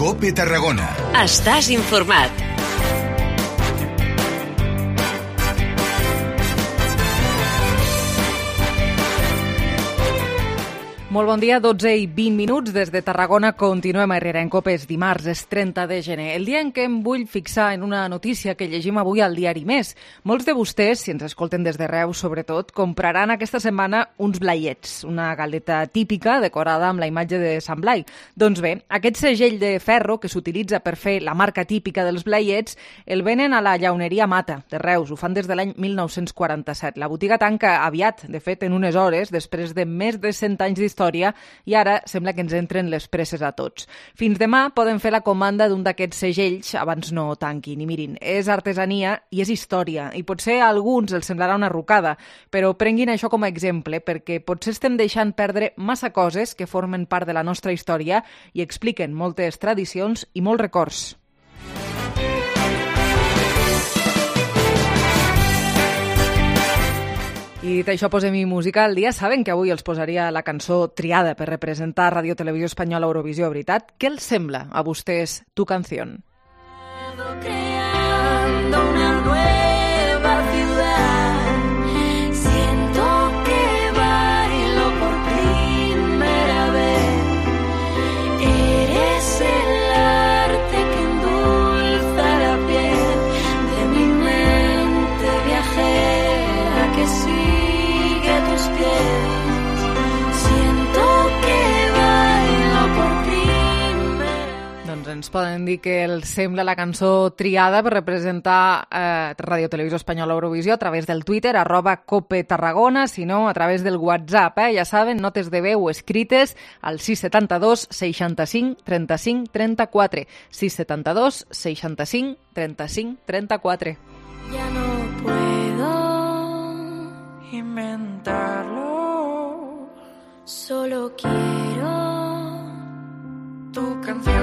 COPE Tarragona. Estàs informat. Molt bon dia, 12 i 20 minuts. Des de Tarragona continuem a Herrera en COPE. És dimarts, és 30 de gener. El dia en què em vull fixar en una notícia que llegim avui al diari Més. Molts de vostès, si ens escolten des de Reus sobretot, compraran aquesta setmana uns blaiets, una galeta típica decorada amb la imatge de Sant Blai. Doncs bé, aquest segell de ferro que s'utilitza per fer la marca típica dels blaiets el venen a la llauneria Mata de Reus. Ho fan des de l'any 1947. La botiga tanca aviat, de fet, en unes hores, després de més de 100 anys d'història, i ara sembla que ens entren les presses a tots. Fins demà poden fer la comanda d'un d'aquests segells abans no tanquin. I mirin, és artesania i és història, i potser a alguns els semblarà una rucada, però prenguin això com a exemple, perquè potser estem deixant perdre massa coses que formen part de la nostra història i expliquen moltes tradicions i molts records. I dit això, posem-hi música al dia. Saben que avui els posaria la cançó triada per representar Radio Televisió Espanyola a Eurovisió, veritat? Què els sembla a vostès Tu Canción? Creando una nueva ciudad, siento que bailo por primera vez, eres el arte que endulza la piel de mi mente viajera que sigue tus pies, siento que bailo por primera vez. Doncs ens poden dir que els sembla la cançó triada per representar Radio Televisió Espanyola a Eurovisió a través del Twitter, @COPE Tarragona, si no, a través del WhatsApp. Ja saben, notes de veu escrites al 672 65 35 34. 672 65 35 34. Ya no puedo inventarlo, solo quiero tu canción.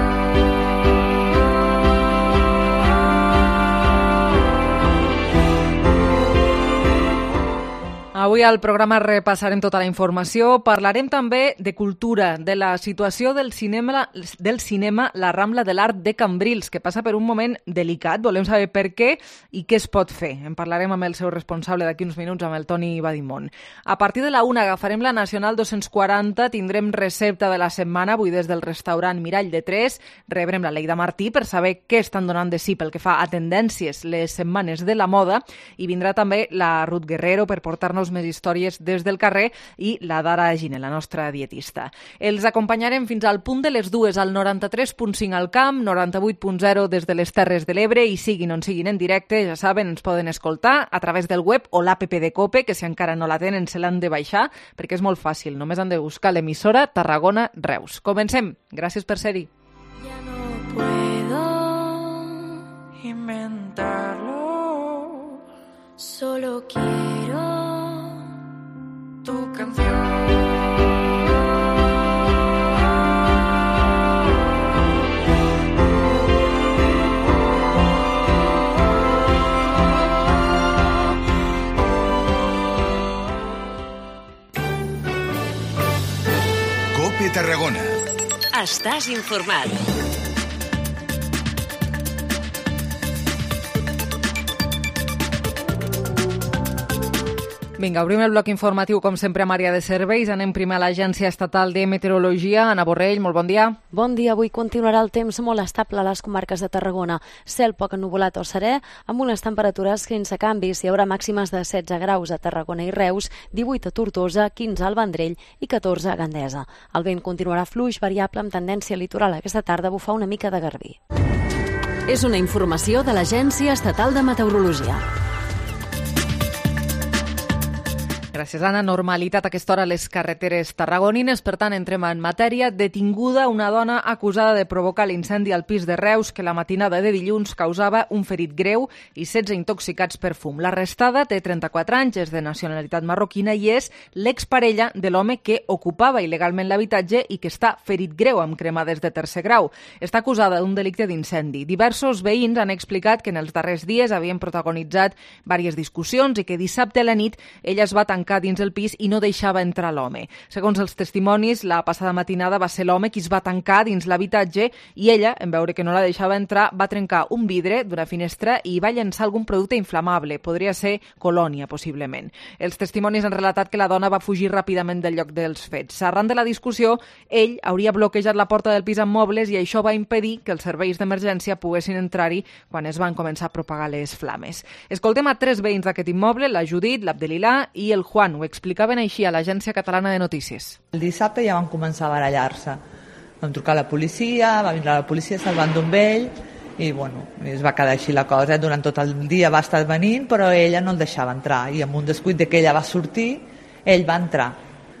Avui al programa repassarem tota la informació, parlarem també de cultura, de la situació del cinema La Rambla de l'Art de Cambrils, que passa per un moment delicat, volem saber per què i què es pot fer. En parlarem amb el seu responsable d'aquí uns minuts, amb el Toni Badimont. A partir de la 1 agafarem la Nacional 240, tindrem recepta de la setmana, avui des del restaurant Mirall de Tres, rebrem la Leida Martí per saber què estan donant de si pel que fa a tendències les setmanes de la moda, i vindrà també la Ruth Guerrero per portar-nos més històries des del carrer, i la Dara Gine, la nostra dietista. Els acompanyarem fins al punt de les 2 al 93.5 al Camp, 98.0 des de les Terres de l'Ebre, i siguin on siguin en directe, ja saben, ens poden escoltar a través del web o l'app de COPE, que si encara no la tenen se l'han de baixar, perquè és molt fàcil, només han de buscar l'emissora Tarragona Reus. Comencem. Gràcies per ser-hi. Ya no puedo inventarlo, solo quiero tu canción. COPE Tarragona. Estàs informat. Vinga, obrim el bloc informatiu, com sempre, amb àrea de serveis. Anem primer a l'Agència Estatal de Meteorologia. Anna Borrell, molt bon dia. Bon dia. Avui continuarà el temps molt estable a les comarques de Tarragona. Cel poc ennuvolat o serè, amb unes temperatures sense canvis. Hi haurà màximes de 16 graus a Tarragona i Reus, 18 a Tortosa, 15 al Vendrell i 14 a Gandesa. El vent continuarà fluix, variable, amb tendència litoral. Aquesta tarda bufar una mica de garbí. És una informació de l'Agència Estatal de Meteorologia. Gràcies, Anna. Normalitat a aquesta hora a les carreteres tarragonines. Per tant, entrem en matèria. Detinguda una dona acusada de provocar l'incendi al pis de Reus que la matinada de dilluns causava un ferit greu i 16 intoxicats per fum. L'arrestada té 34 anys, és de nacionalitat marroquina i és l'exparella de l'home que ocupava il·legalment l'habitatge i que està ferit greu amb cremades de tercer grau. Està acusada d'un delicte d'incendi. Diversos veïns han explicat que en els darrers dies havien protagonitzat diverses discussions i que dissabte a la nit ella es va tancar tancar dins el pis i no deixava entrar l'home. Segons els testimonis, la passada matinada va ser l'home qui es va tancar dins l'habitatge i ella, en veure que no la deixava entrar, va trencar un vidre d'una finestra i va llançar algun producte inflamable. Podria ser colònia, possiblement. Els testimonis han relatat que la dona va fugir ràpidament del lloc dels fets. Arran de la discussió, ell hauria bloquejat la porta del pis amb mobles i això va impedir que els serveis d'emergència poguessin entrar-hi quan es van començar a propagar les flames. Escoltem a 3 veïns d'aquest immoble, la Judit, l'Abdelilà i el Juan. Ho explicaven així a l'Agència Catalana de Notícies. El dissabte ja van començar a barallar-se. Vam trucar a la policia, va vindre la policia, se'l van d'un vell i es va quedar així la cosa. Durant tot el dia va estar venint, però ella no el deixava entrar i amb un descuit de que ella va sortir, ell va entrar.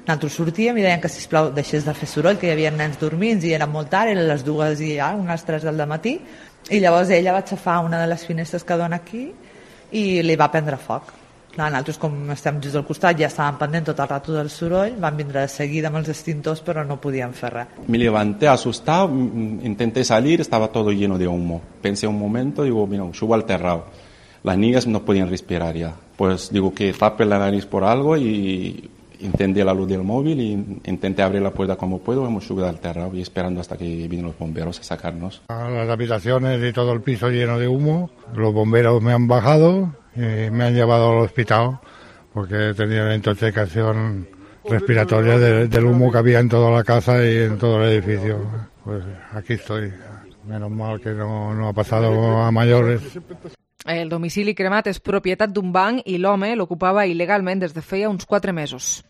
Nosaltres sortíem i deien que, sisplau, deixés de fer soroll, que hi havia nens dormint i era molt tard, eren les 2 i ja, unes 3 del matí, i llavors ella va aixafar una de les finestres que dona aquí i li va prendre foc. Clar, nosaltres, com estem just al costat, ja estàvem pendent tot el rato del soroll, van vindre de seguida amb els extintors, però no podíem fer res. Me levanté asustado, intenté salir, estaba todo lleno de humo. Pensé un momento, digo, mira, subo al terrado. Las niñas no podían respirar ya. Pues digo que tape la nariz por algo y encendí la luz del móvil y intenté abrir la puerta como puedo. Hemos subido al terrado y esperando hasta que vinieron los bomberos a sacarnos. Las habitaciones y todo el piso lleno de humo. Los bomberos me han bajado y me han llevado al hospital porque tenía una intoxicación respiratoria del humo que había en toda la casa y en todo el edificio. Pues aquí estoy. Menos mal que no ha pasado a mayores. El domicili cremat és propietat d'un banc i l'home l'ocupava il·legalment des de feia uns 4 mesos.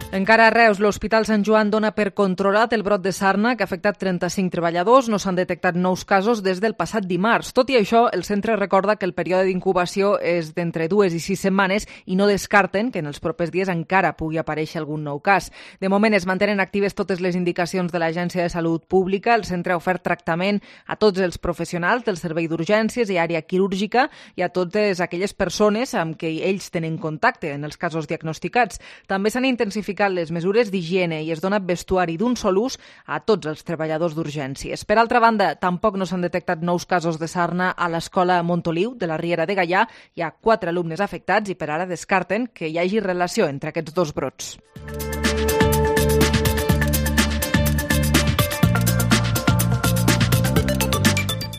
Encara a Reus, l'Hospital Sant Joan dona per controlat el brot de sarna que ha afectat 35 treballadors. No s'han detectat nous casos des del passat dimarts. Tot i això, el centre recorda que el període d'incubació és d'entre 2 i 6 setmanes i no descarten que en els propers dies encara pugui aparèixer algun nou cas. De moment es mantenen actives totes les indicacions de l'Agència de Salut Pública. El centre ha ofert tractament a tots els professionals del servei d'urgències i àrea quirúrgica i a totes aquelles persones amb què ells tenen contacte en els casos diagnosticats. També s'han intensificat les mesures d'higiene i es dona vestuari d'un sol ús a tots els treballadors d'urgències. Per altra banda, tampoc no s'han detectat nous casos de sarna a l'escola Montoliu de la Riera de Gaià. Hi ha 4 alumnes afectats i per ara descarten que hi hagi relació entre aquests dos brots.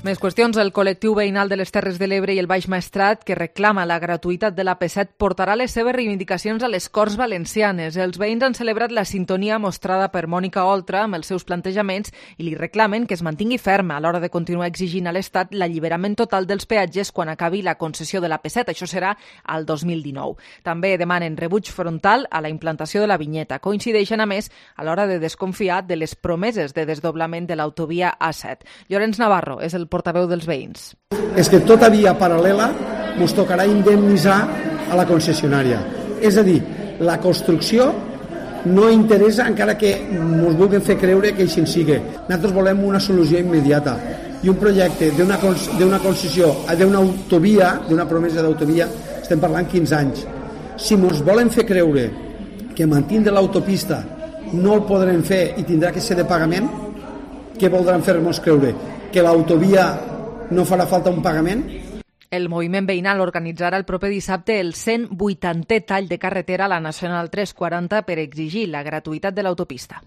Més qüestions. El col·lectiu veïnal de les Terres de l'Ebre i el Baix Maestrat, que reclama la gratuïtat de l'AP7, portarà les seves reivindicacions a les Corts Valencianes. Els veïns han celebrat la sintonia mostrada per Mònica Oltra amb els seus plantejaments i li reclamen que es mantingui ferma a l'hora de continuar exigint a l'Estat l'alliberament total dels peatges quan acabi la concessió de l'AP7. Això serà al 2019. També demanen rebuig frontal a la implantació de la vinyeta. Coincideixen, a més, a l'hora de desconfiar de les promeses de desdoblament de l'autovia A7. Llorenç Navarro és el portaveu dels veïns. És que tota via paral·lela ens tocarà indemnitzar a la concessionària. És a dir, la construcció no interessa encara que ens vulguin fer creure que així sigui. Nosaltres volem una solució immediata i un projecte d'una concessió, d'una autovia, d'una promesa d'autovia, estem parlant 15 anys. Si ens volen fer creure que mantindre l'autopista no el podrem fer i tindrà que ser de pagament, què voldran fer-nos creure? Que l'autovia no farà falta un pagament? El moviment veïnal organitzarà el proper dissabte el 180è tall de carretera a la Nacional 340 per exigir la gratuïtat de l'autopista.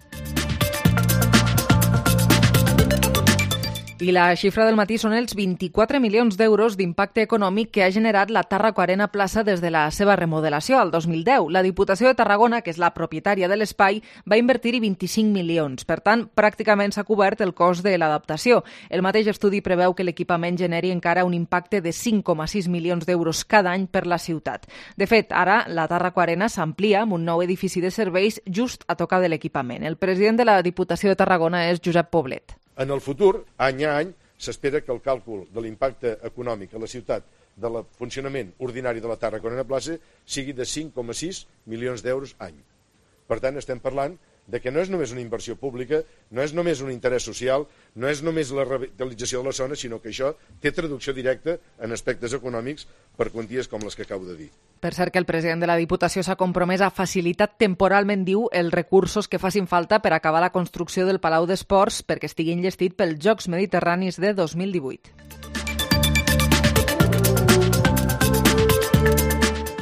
I la xifra del matí són els 24 milions d'euros d'impacte econòmic que ha generat la Tàrraco Arena Plaça des de la seva remodelació al 2010. La Diputació de Tarragona, que és la propietària de l'espai, va invertir-hi 25 milions. Per tant, pràcticament s'ha cobert el cost de l'adaptació. El mateix estudi preveu que l'equipament generi encara un impacte de 5,6 milions d'euros cada any per la ciutat. De fet, ara la Tàrraco Arena s'amplia amb un nou edifici de serveis just a tocar de l'equipament. El president de la Diputació de Tarragona és Josep Poblet. En el futur, any a any, s'espera que el càlcul de l'impacte econòmic a la ciutat del funcionament ordinari de la Tàrraco Arena Plaça sigui de 5,6 milions d'euros any. Per tant, estem parlant de que no és només una inversió pública, no és només un interès social, no és només la revitalització de la zona, sinó que això té traducció directa en aspectes econòmics per quanties com les que acabo de dir. Per cert, que el president de la Diputació s'ha compromès a facilitar temporalment, diu, els recursos que facin falta per acabar la construcció del Palau d'Esports perquè estigui enllestit pels Jocs Mediterranis de 2018.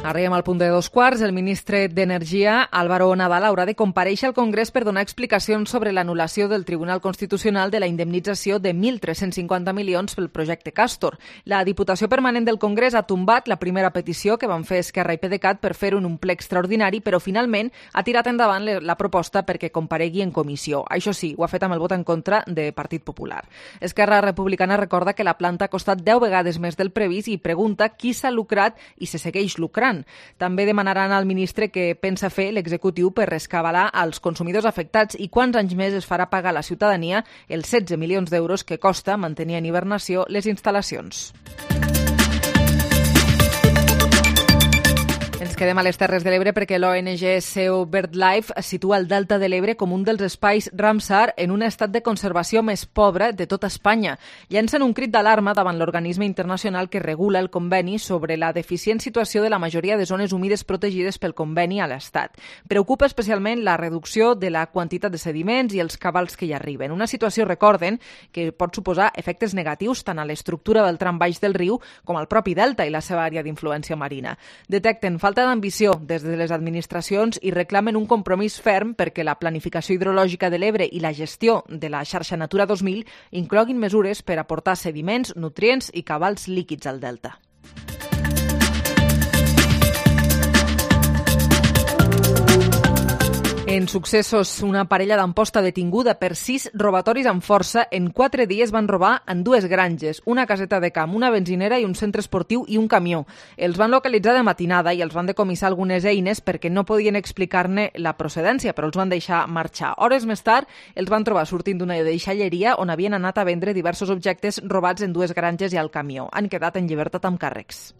Arribem al punt de 2:15. El ministre d'Energia, Álvaro Nadal, haurà de comparèixer al Congrés per donar explicacions sobre l'anul·lació del Tribunal Constitucional de la indemnització de 1.350 milions pel projecte Castor. La Diputació Permanent del Congrés ha tombat la primera petició que van fer Esquerra i PDeCAT per fer un ple extraordinari, però finalment ha tirat endavant la proposta perquè comparegui en comissió. Això sí, ho ha fet amb el vot en contra de Partit Popular. Esquerra Republicana recorda que la planta ha costat 10 vegades més del previst i pregunta qui s'ha lucrat i se segueix lucrant. També demanaran al ministre què pensa fer l'executiu per rescabalar als consumidors afectats i quants anys més es farà pagar a la ciutadania els 16 milions d'euros que costa mantenir en hibernació les instal·lacions. Ens quedem a les Terres de l'Ebre perquè l'ONG SEO BirdLife situa el Delta de l'Ebre com un dels espais Ramsar en un estat de conservació més pobre de tota Espanya. Llancen un crit d'alarma davant l'organisme internacional que regula el conveni sobre la deficient situació de la majoria de zones humides protegides pel conveni a l'Estat. Preocupa especialment la reducció de la quantitat de sediments i els cabals que hi arriben. Una situació, recorden, que pot suposar efectes negatius tant a l'estructura del tram baix del riu com al propi delta i la seva àrea d'influència marina. Detecten falta d'ambició des de les administracions i reclamen un compromís ferm perquè la planificació hidrològica de l'Ebre i la gestió de la xarxa Natura 2000 incloguin mesures per aportar sediments, nutrients i cabals líquids al delta. En successos, una parella d'Amposta detinguda per 6 robatoris amb força. En 4 dies van robar en 2 granges, una caseta de camp, una benzinera i un centre esportiu i un camió. Els van localitzar de matinada i els van decomissar algunes eines perquè no podien explicar-ne la procedència, però els van deixar marxar. Hores més tard, els van trobar sortint d'una deixalleria on havien anat a vendre diversos objectes robats en 2 granges i al camió. Han quedat en llibertat amb càrrecs.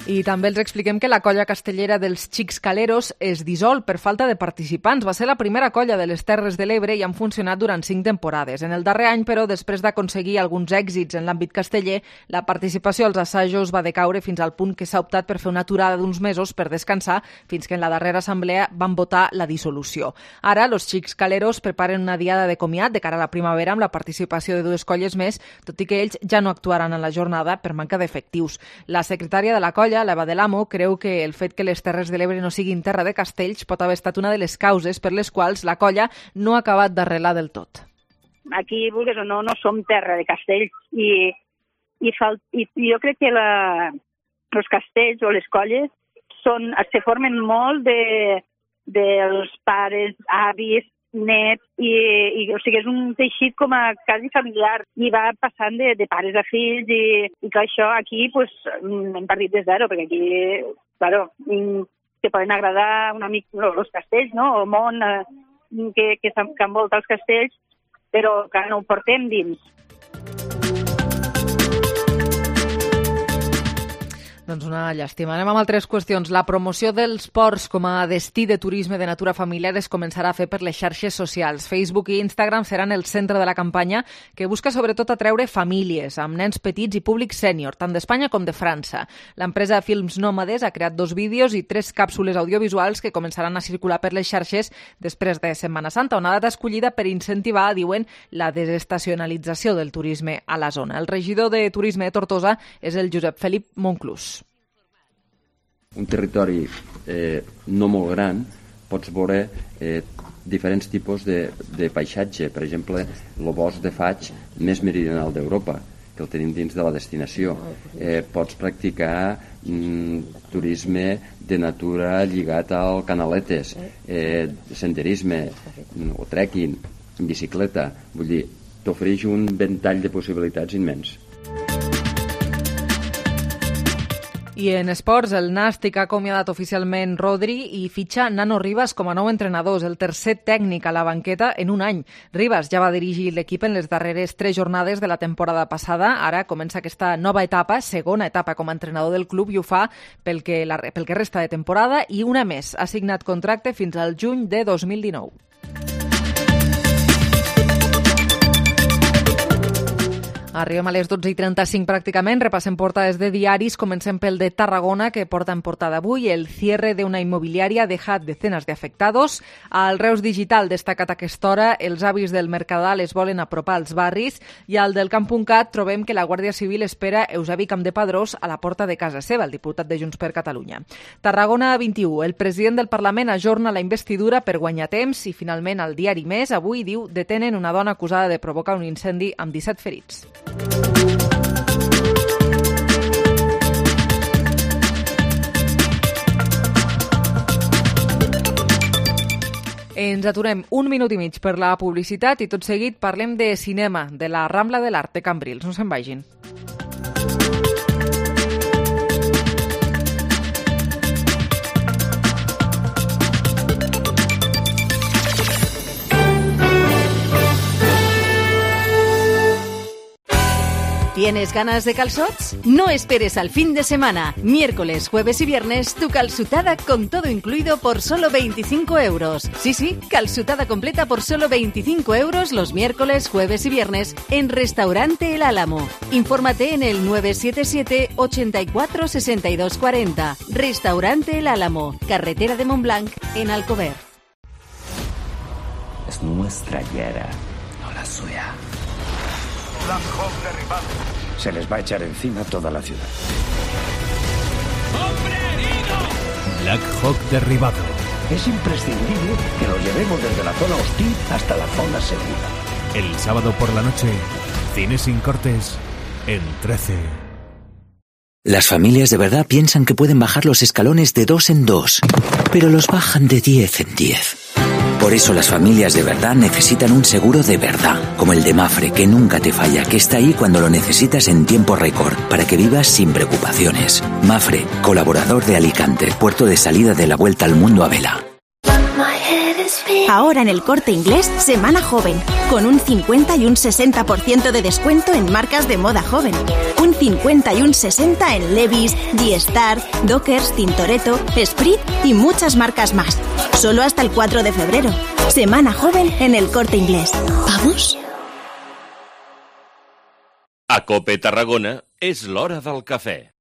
I també els expliquem que la colla castellera dels Xics Caleros es dissol per falta de participants. Va ser la primera colla de les Terres de l'Ebre i han funcionat durant 5 temporades. En el darrer any, però, després d'aconseguir alguns èxits en l'àmbit casteller, la participació als assajos va decaure fins al punt que s'ha optat per fer una aturada d'uns mesos per descansar fins que en la darrera assemblea van votar la dissolució. Ara, els Xics Caleros preparen una diada de comiat de cara a la primavera amb la participació de 2 colles més, tot i que ells ja no actuaran en la jornada per manca d'efectius. La secretària de la colla, l'Eva de l'Amo, creu que el fet que les Terres de l'Ebre no siguin terra de castells pot haver estat una de les causes per les quals la colla no ha acabat d'arrelar del tot. Aquí, vulguis o no som terra de castells i jo crec que els castells o les colles se formen molt dels pares, avis, net, o sigui, és un teixit com a quasi familiar i va passant de pares a fills i que això aquí pues, hem partit de zero, perquè aquí, claro, te poden agradar una mica els castells, no? El món que envolta els castells, però que no ho portem dins. Doncs una llàstima. Anem amb altres qüestions. La promoció dels ports com a destí de turisme de natura familiar es començarà a fer per les xarxes socials. Facebook i Instagram seran el centre de la campanya que busca sobretot atreure famílies amb nens petits i públic sènior, tant d'Espanya com de França. L'empresa Films Nòmades ha creat 2 vídeos i 3 càpsules audiovisuals que començaran a circular per les xarxes després de Setmana Santa, una data escollida per incentivar, diuen, la desestacionalització del turisme a la zona. El regidor de Turisme de Tortosa és el Josep Felip Monclús. Un territori no molt gran, pots veure diferents tipus de paisatge. Per exemple, el bosc de faig més meridional d'Europa, que el tenim dins de la destinació. Pots practicar turisme de natura lligat al canaletes, senderisme o trekking, en bicicleta. Vull dir, t'ofereix un ventall de possibilitats immens. I en esports, el Nàstic ha acomiadat oficialment Rodri i fitxa Nano Rivas com a nou entrenador, el tercer tècnic a la banqueta en un any. Rivas ja va dirigir l'equip en les darreres 3 jornades de la temporada passada. Ara comença aquesta nova etapa, segona etapa com a entrenador del club, i ho fa pel que resta de temporada i una més. Ha signat contracte fins al juny de 2019. Arribem a les 12:35 pràcticament, repassem portades de diaris, comencem pel de Tarragona, que porta en portada avui el cierre de una inmobiliaria deja decenas de afectados. Al Reus Digital, destacat a aquesta hora, els avis del Mercadal es volen apropar als barris, i al del Camp.cat trobem que la Guàrdia Civil espera Eusebi Campdepadrós a la porta de casa seva, el diputat de Junts per Catalunya. Tarragona 21, el president del Parlament ajorna la investidura per guanyar temps i finalment el diari Més avui diu detenen una dona acusada de provocar un incendi amb 17 ferits. Ens aturem un minut i mig per la publicitat i tot seguit parlem de cinema, de la Rambla de l'Art de Cambrils. No se'n vagin. ¿Tienes ganas de calzots? No esperes al fin de semana. Miércoles, jueves y viernes, tu calzutada con todo incluido por solo 25 euros. Sí, calzutada completa por solo 25 euros los miércoles, jueves y viernes en Restaurante El Álamo. Infórmate en el 977 84 62 40. Restaurante El Álamo, carretera de Montblanc, en Alcover. Es nuestra Yara, no la suya. Black Hawk derribado. Se les va a echar encima toda la ciudad. ¡Hombre herido! Black Hawk derribado. Es imprescindible que lo llevemos desde la zona hostil hasta la zona segura. El sábado por la noche, cine sin cortes en 13. Las familias de verdad piensan que pueden bajar los escalones de 2 en 2, pero los bajan de 10 en 10. Por eso las familias de verdad necesitan un seguro de verdad, como el de Mafre, que nunca te falla, que está ahí cuando lo necesitas en tiempo récord, para que vivas sin preocupaciones. Mafre, colaborador de Alicante, puerto de salida de la vuelta al mundo a vela. Ahora en El Corte Inglés, Semana Joven, con un 50 y un 60% de descuento en marcas de moda joven. Un 50 y un 60 en Levi's, G-Star, Dockers, Tintoretto, Esprit y muchas marcas más. Solo hasta el 4 de febrero. Semana Joven en El Corte Inglés. ¿Vamos? A Cope Tarragona és l'hora del cafè.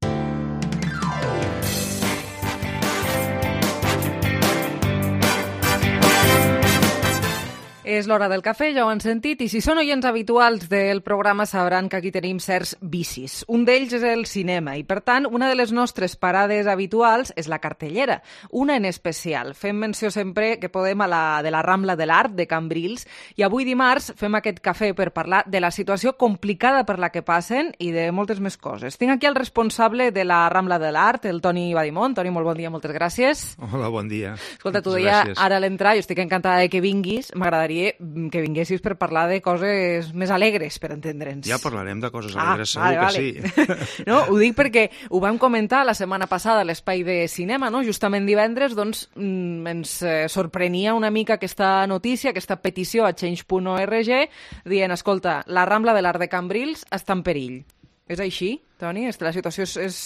És l'hora del cafè, ja ho han sentit, i si són oients habituals del programa sabran que aquí tenim certs vicis. Un d'ells és el cinema, i per tant, una de les nostres parades habituals és la cartellera, una en especial. Fem menció sempre que podem de la Rambla de l'Art de Cambrils, i avui dimarts fem aquest cafè per parlar de la situació complicada per la que passen i de moltes més coses. Tinc aquí el responsable de la Rambla de l'Art, el Toni Badimont. Toni, molt bon dia, moltes gràcies. Hola, bon dia. Escolta, tu deia ara a l'entrar, jo estic encantada de que vinguis, m'agradaria que vinguessis per parlar de coses més alegres, per entendre'ns. Ja parlarem de coses alegres, segur que sí. No, ho dic perquè ho vam comentar la setmana passada a l'Espai de Cinema, no? Justament divendres, doncs, ens sorprenia una mica aquesta notícia, aquesta petició a Change.org, dient, escolta, la Rambla de l'Art de Cambrils està en perill. És així, Toni? La situació és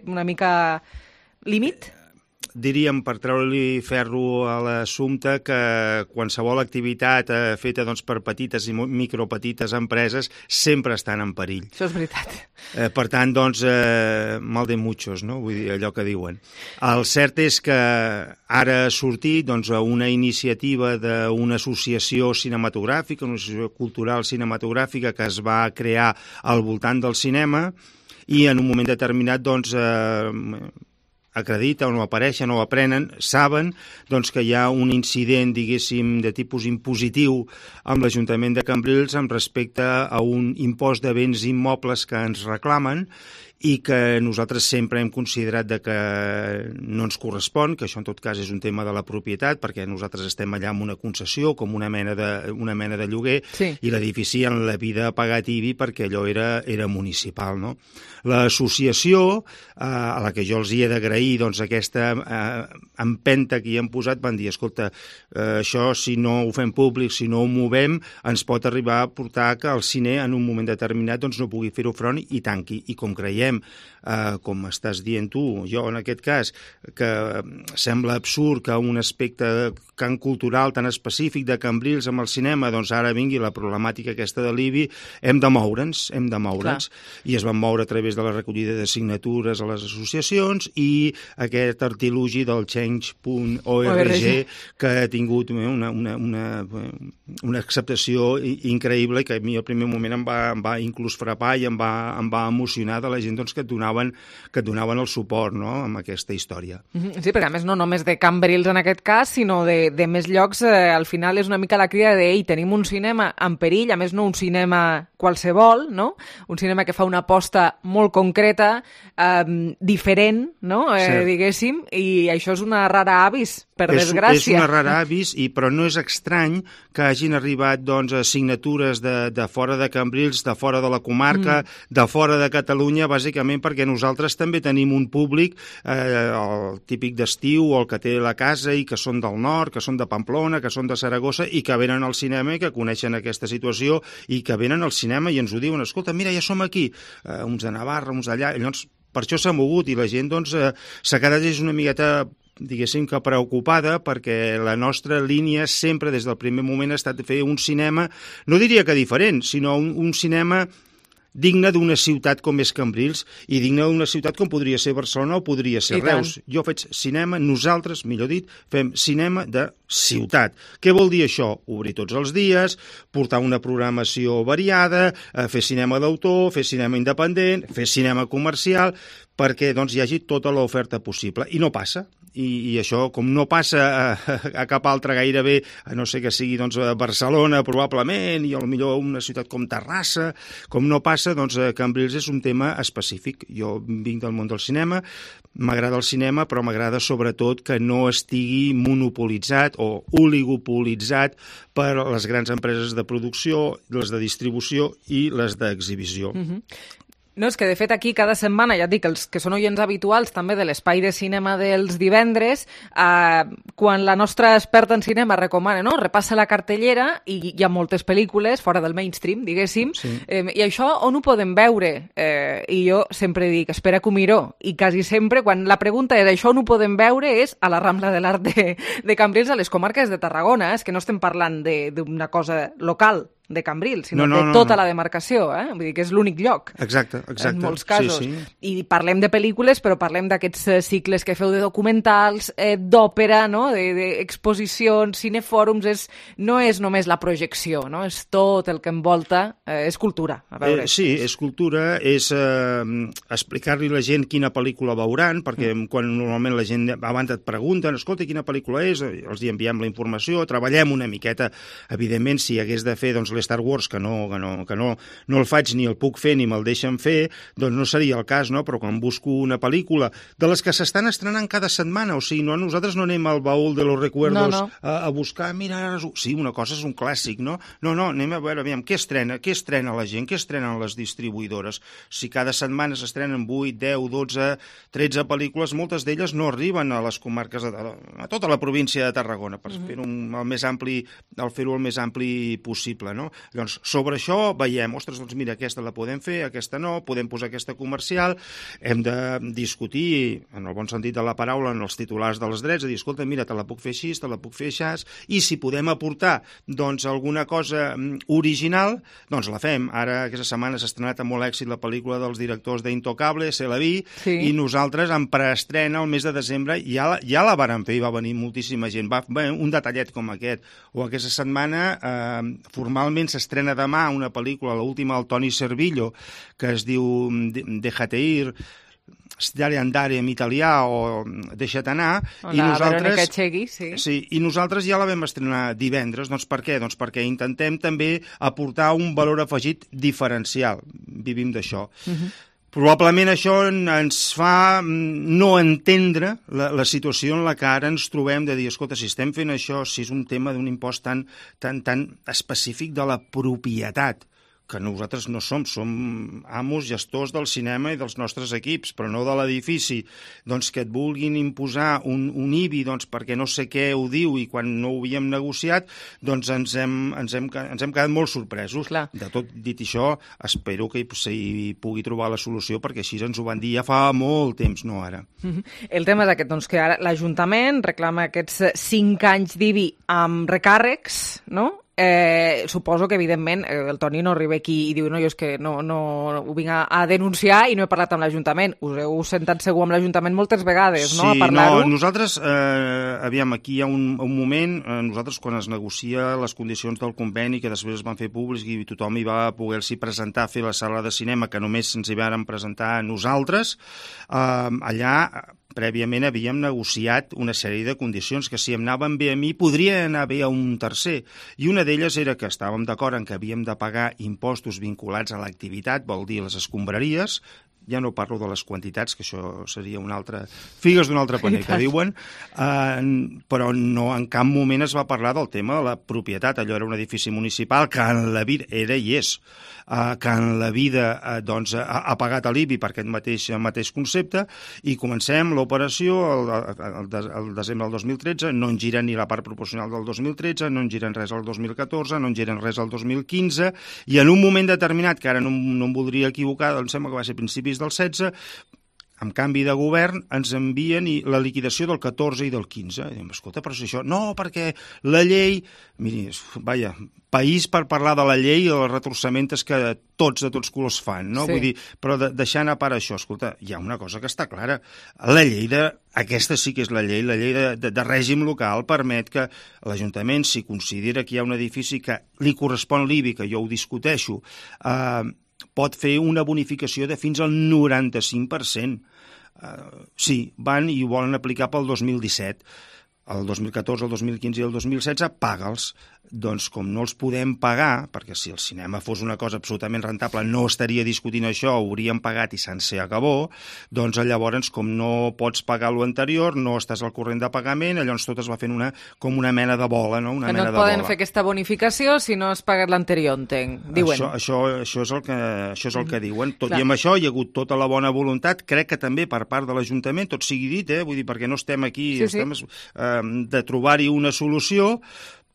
una mica límit? Diríem, per treure-li ferro a l'assumpte, que qualsevol activitat feta per petites i micropetites empreses sempre estan en perill. Això és veritat. Per tant, mal de muchos, no? Vull dir, allò que diuen. El cert és que ara ha sortit una iniciativa d'una associació cinematogràfica, una associació cultural cinematogràfica que es va crear al voltant del cinema i en un moment determinat, acrediten o apareixen o aprenen, saben que hi ha un incident, diguéssim, de tipus impositiu amb l'Ajuntament de Cambrils amb respecte a un impost de béns immobles que ens reclamen i que nosaltres sempre hem considerat que no ens correspon, que això en tot cas és un tema de la propietat, perquè nosaltres estem allà amb una concessió, com una mena de lloguer, sí. I l'edifici en la vida ha pagat IBI perquè allò era municipal, no? L'associació, a la que jo els hi he d'agrair aquesta empenta que hi han posat, van dir, escolta, això si no ho fem públic, si no ho movem, ens pot arribar a portar que el cine en un moment determinat no pugui fer-ho front i tanqui. I com creiem veiem, com estàs dient tu, jo en aquest cas, que sembla absurd que un aspecte tan cultural, tan específic de Cambrils amb el cinema, doncs ara vingui la problemàtica aquesta de l'IBI, hem de moure'ns, i es van moure a través de la recollida de signatures a les associacions i aquest artilugi del Change.org que ha tingut una acceptació increïble i que a mi al primer moment em va inclús frapar i em va emocionar de la gent doncs, que et donaven el suport, no?, amb aquesta història. Sí, perquè a més no només de Cambrils en aquest cas, sinó de més llocs, al final és una mica la crida de tenim un cinema en perill, a més no un cinema qualsevol, no? Un cinema que fa una aposta molt concreta, diferent, no? Diguéssim, i això és una rara avis, per desgràcia. És una rara avis, però no és estrany que hagin arribat doncs, signatures de fora de Cambrils, de fora de la comarca, de fora de Catalunya, bàsicament perquè nosaltres també tenim un públic, el típic d'estiu o el que té la casa i que són del nord, que són de Pamplona, que són de Saragossa i que venen al cinema i que coneixen aquesta situació i que venen al cinema i ens ho diuen, escolta, mira, ja som aquí, uns de Navarra, uns d'allà, i llavors per això s'ha mogut i la gent doncs, s'ha quedat una miqueta diguéssim que preocupada perquè la nostra línia sempre des del primer moment ha estat de fer un cinema, no diria que diferent, sinó un cinema digne d'una ciutat com és Cambrils i digne d'una ciutat com podria ser Barcelona o podria ser Reus. Jo faig cinema, nosaltres, millor dit, fem cinema de ciutat. Què vol dir això? Obrir tots els dies, portar una programació variada, fer cinema d'autor, fer cinema independent, fer cinema comercial, perquè doncs, hi hagi tota l'oferta possible. I no passa. I això, com no passa a cap altre gairebé, a no ser que sigui doncs, a Barcelona probablement, i potser una ciutat com Terrassa, com no passa, doncs Cambrils és un tema específic. Jo vinc del món del cinema, m'agrada el cinema, però m'agrada sobretot que no estigui monopolitzat o oligopolitzat per les grans empreses de producció, les de distribució i les d'exhibició. No, és que de fet aquí cada setmana, ja et dic, els que són oients habituals també de l'espai de cinema dels divendres, quan la nostra experta en cinema recomana, no?, repassa la cartellera i hi ha moltes pel·lícules fora del mainstream, diguéssim, i això on ho podem veure? I jo sempre dic, espera que ho miro, i quasi sempre quan la pregunta és això on ho podem veure és a la Rambla de l'Art de Cambrils, a les comarques de Tarragona, és que no estem parlant d'una cosa local de Cambrils, sinó de tota la demarcació, vull dir que és l'únic lloc. Exacte. En molts casos. I parlem de pel·lícules, però parlem d'aquests cicles que feu de documentals, d'òpera, no?, d'exposicions, cinefòrums, no és només la projecció, no?, és tot el que envolta, és cultura. Sí, és cultura, és explicar-li a la gent quina pel·lícula veuran, perquè quan normalment la gent abans et pregunten, escolta, quina pel·lícula és, els hi enviem la informació, treballem una miqueta, evidentment, si hagués de fer doncs, l'Star Wars, que no el faig ni el puc fer ni me'l deixen fer, doncs no seria el cas, no? Però quan busco una pel·lícula de les que s'estan estrenant cada setmana, o sigui, nosaltres no anem al baúl de los recuerdos a buscar, mira, sí, una cosa és un clàssic, no? No, anem a veure, aviam, què estrena la gent, què estrenen les distribuïdores? Si cada setmana s'estrenen 8, 10, 12, 13 pel·lícules, moltes d'elles no arriben a les comarques, a tota la província de Tarragona, per fer-ho el més ampli possible, no? Llavors, sobre això veiem, ostres, doncs mira, aquesta la podem fer, aquesta no, podem posar aquesta comercial, hem de discutir, en el bon sentit de la paraula, en els titulars dels drets, de dir, escolta, mira, te la puc fer així, te la puc fer així, i si podem aportar, doncs, alguna cosa original, doncs la fem. Ara, aquesta setmana s'ha estrenat amb molt èxit la pel·lícula dels directors d'Intocable, C'est la vie, i nosaltres, en preestrena, el mes de desembre, ja la vàrem fer i va venir moltíssima gent. Un detallet com aquest. O aquesta setmana, formalment s'estrena demà una pel·lícula, l'última del Toni Servillo, que es diu Déjate ir, Stare andare en italià o Deixa't anar, i nosaltres ja la vam estrenar divendres. Doncs per què? Doncs perquè intentem també aportar un valor afegit diferencial. Vivim d'això. Probablement això ens fa no entendre la situació en la que ara ens trobem de dir, escolta, si estem fent això, si és un tema d'un impost tan específic de la propietat, que nosaltres no som amos, gestors del cinema i dels nostres equips, però no de l'edifici, doncs que et vulguin imposar un IBI perquè no sé què ho diu i quan no ho havíem negociat, doncs ens hem quedat molt sorpresos. Clar. De tot dit això, espero que s'hi pugui trobar la solució, perquè així ens ho van dir ja fa molt temps, no ara. El tema és aquest, doncs, que ara l'Ajuntament reclama aquests 5 anys d'IBI amb recàrrecs, no? Suposo que, evidentment, el Toni no arriba aquí i diu no, jo és que no ho vinc a denunciar i no he parlat amb l'Ajuntament. Us heu sentat segur amb l'Ajuntament moltes vegades, no?, a parlar-ho? Sí, nosaltres, aviam, aquí hi ha un moment, nosaltres quan es negocia les condicions del conveni, que després es van fer públics i tothom hi va poder-s'hi presentar a fer la sala de cinema, que només ens hi vàrem presentar nosaltres, allà prèviament havíem negociat una sèrie de condicions que si em anaven bé a mi podria anar bé a un tercer, i una d'elles era que estàvem d'acord en que havíem de pagar impostos vinculats a l'activitat, vol dir les escombraries. Ja no parlo de les quantitats, que això seria una altra... figues d'un altre paner, que diuen, però no, en cap moment es va parlar del tema de la propietat. Allò era un edifici municipal que en la vida era i és, que en la vida doncs, ha pagat l'IBI per aquest mateix concepte, i comencem l'operació el desembre del 2013, no en giren ni la part proporcional del 2013, no en giren res al 2014, no en giren res al 2015, i en un moment determinat, que ara no em voldria equivocar, doncs sembla que va ser principis del 16, amb canvi de govern, ens envien la liquidació del 14 i del 15. I diem, escolta, però si això... No, perquè la llei... Miri, vaja, país per parlar de la llei i els retorçaments que tots de tots colors fan, no? Sí. Vull dir, però deixant a part això, escolta, hi ha una cosa que està clara. La llei aquesta sí que és la llei de règim local permet que l'Ajuntament, si considera que hi ha un edifici que li correspon l'IBI, que jo ho discuteixo, pot fer una bonificació de fins al 95%. Sí, van i ho volen aplicar pel 2017. El 2014, el 2015 i el 2016, paga'ls. Doncs com no els podem pagar, perquè si el cinema fos una cosa absolutament rentable no estaria discutint això, ho hauríem pagat i se'n se acabó, doncs llavors com no pots pagar l'anterior, no estàs al corrent de pagament, llavors tot es va fent com una mena de bola, no? Una mena no et poden fer aquesta bonificació si no has pagat l'anterior, entenc, diuen. Això és el que diuen. Tot i amb això hi ha hagut tota la bona voluntat, crec que també per part de l'Ajuntament, tot sigui dit, vull dir, perquè no estem aquí, estem de trobar-hi una solució,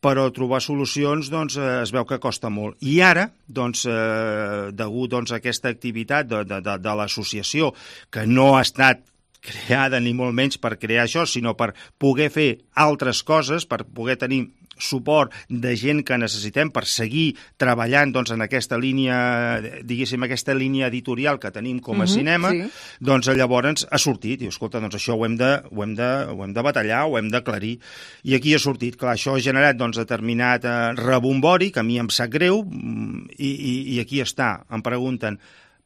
però trobar solucions doncs, es veu que costa molt. I ara, doncs, degut a aquesta activitat de l'associació, que no ha estat creada ni molt menys per crear això, sinó per poder fer altres coses, per poder tenir suport de gent que necessitem per seguir treballant doncs, en aquesta línia, diguéssim, aquesta línia editorial que tenim com a cinema, doncs llavors ha sortit, i escolta, doncs això ho hem de batallar, ho hem d'aclarir, i aquí ha sortit, clar, això ha generat doncs, determinat rebombori, que a mi em sap greu, i aquí està, em pregunten,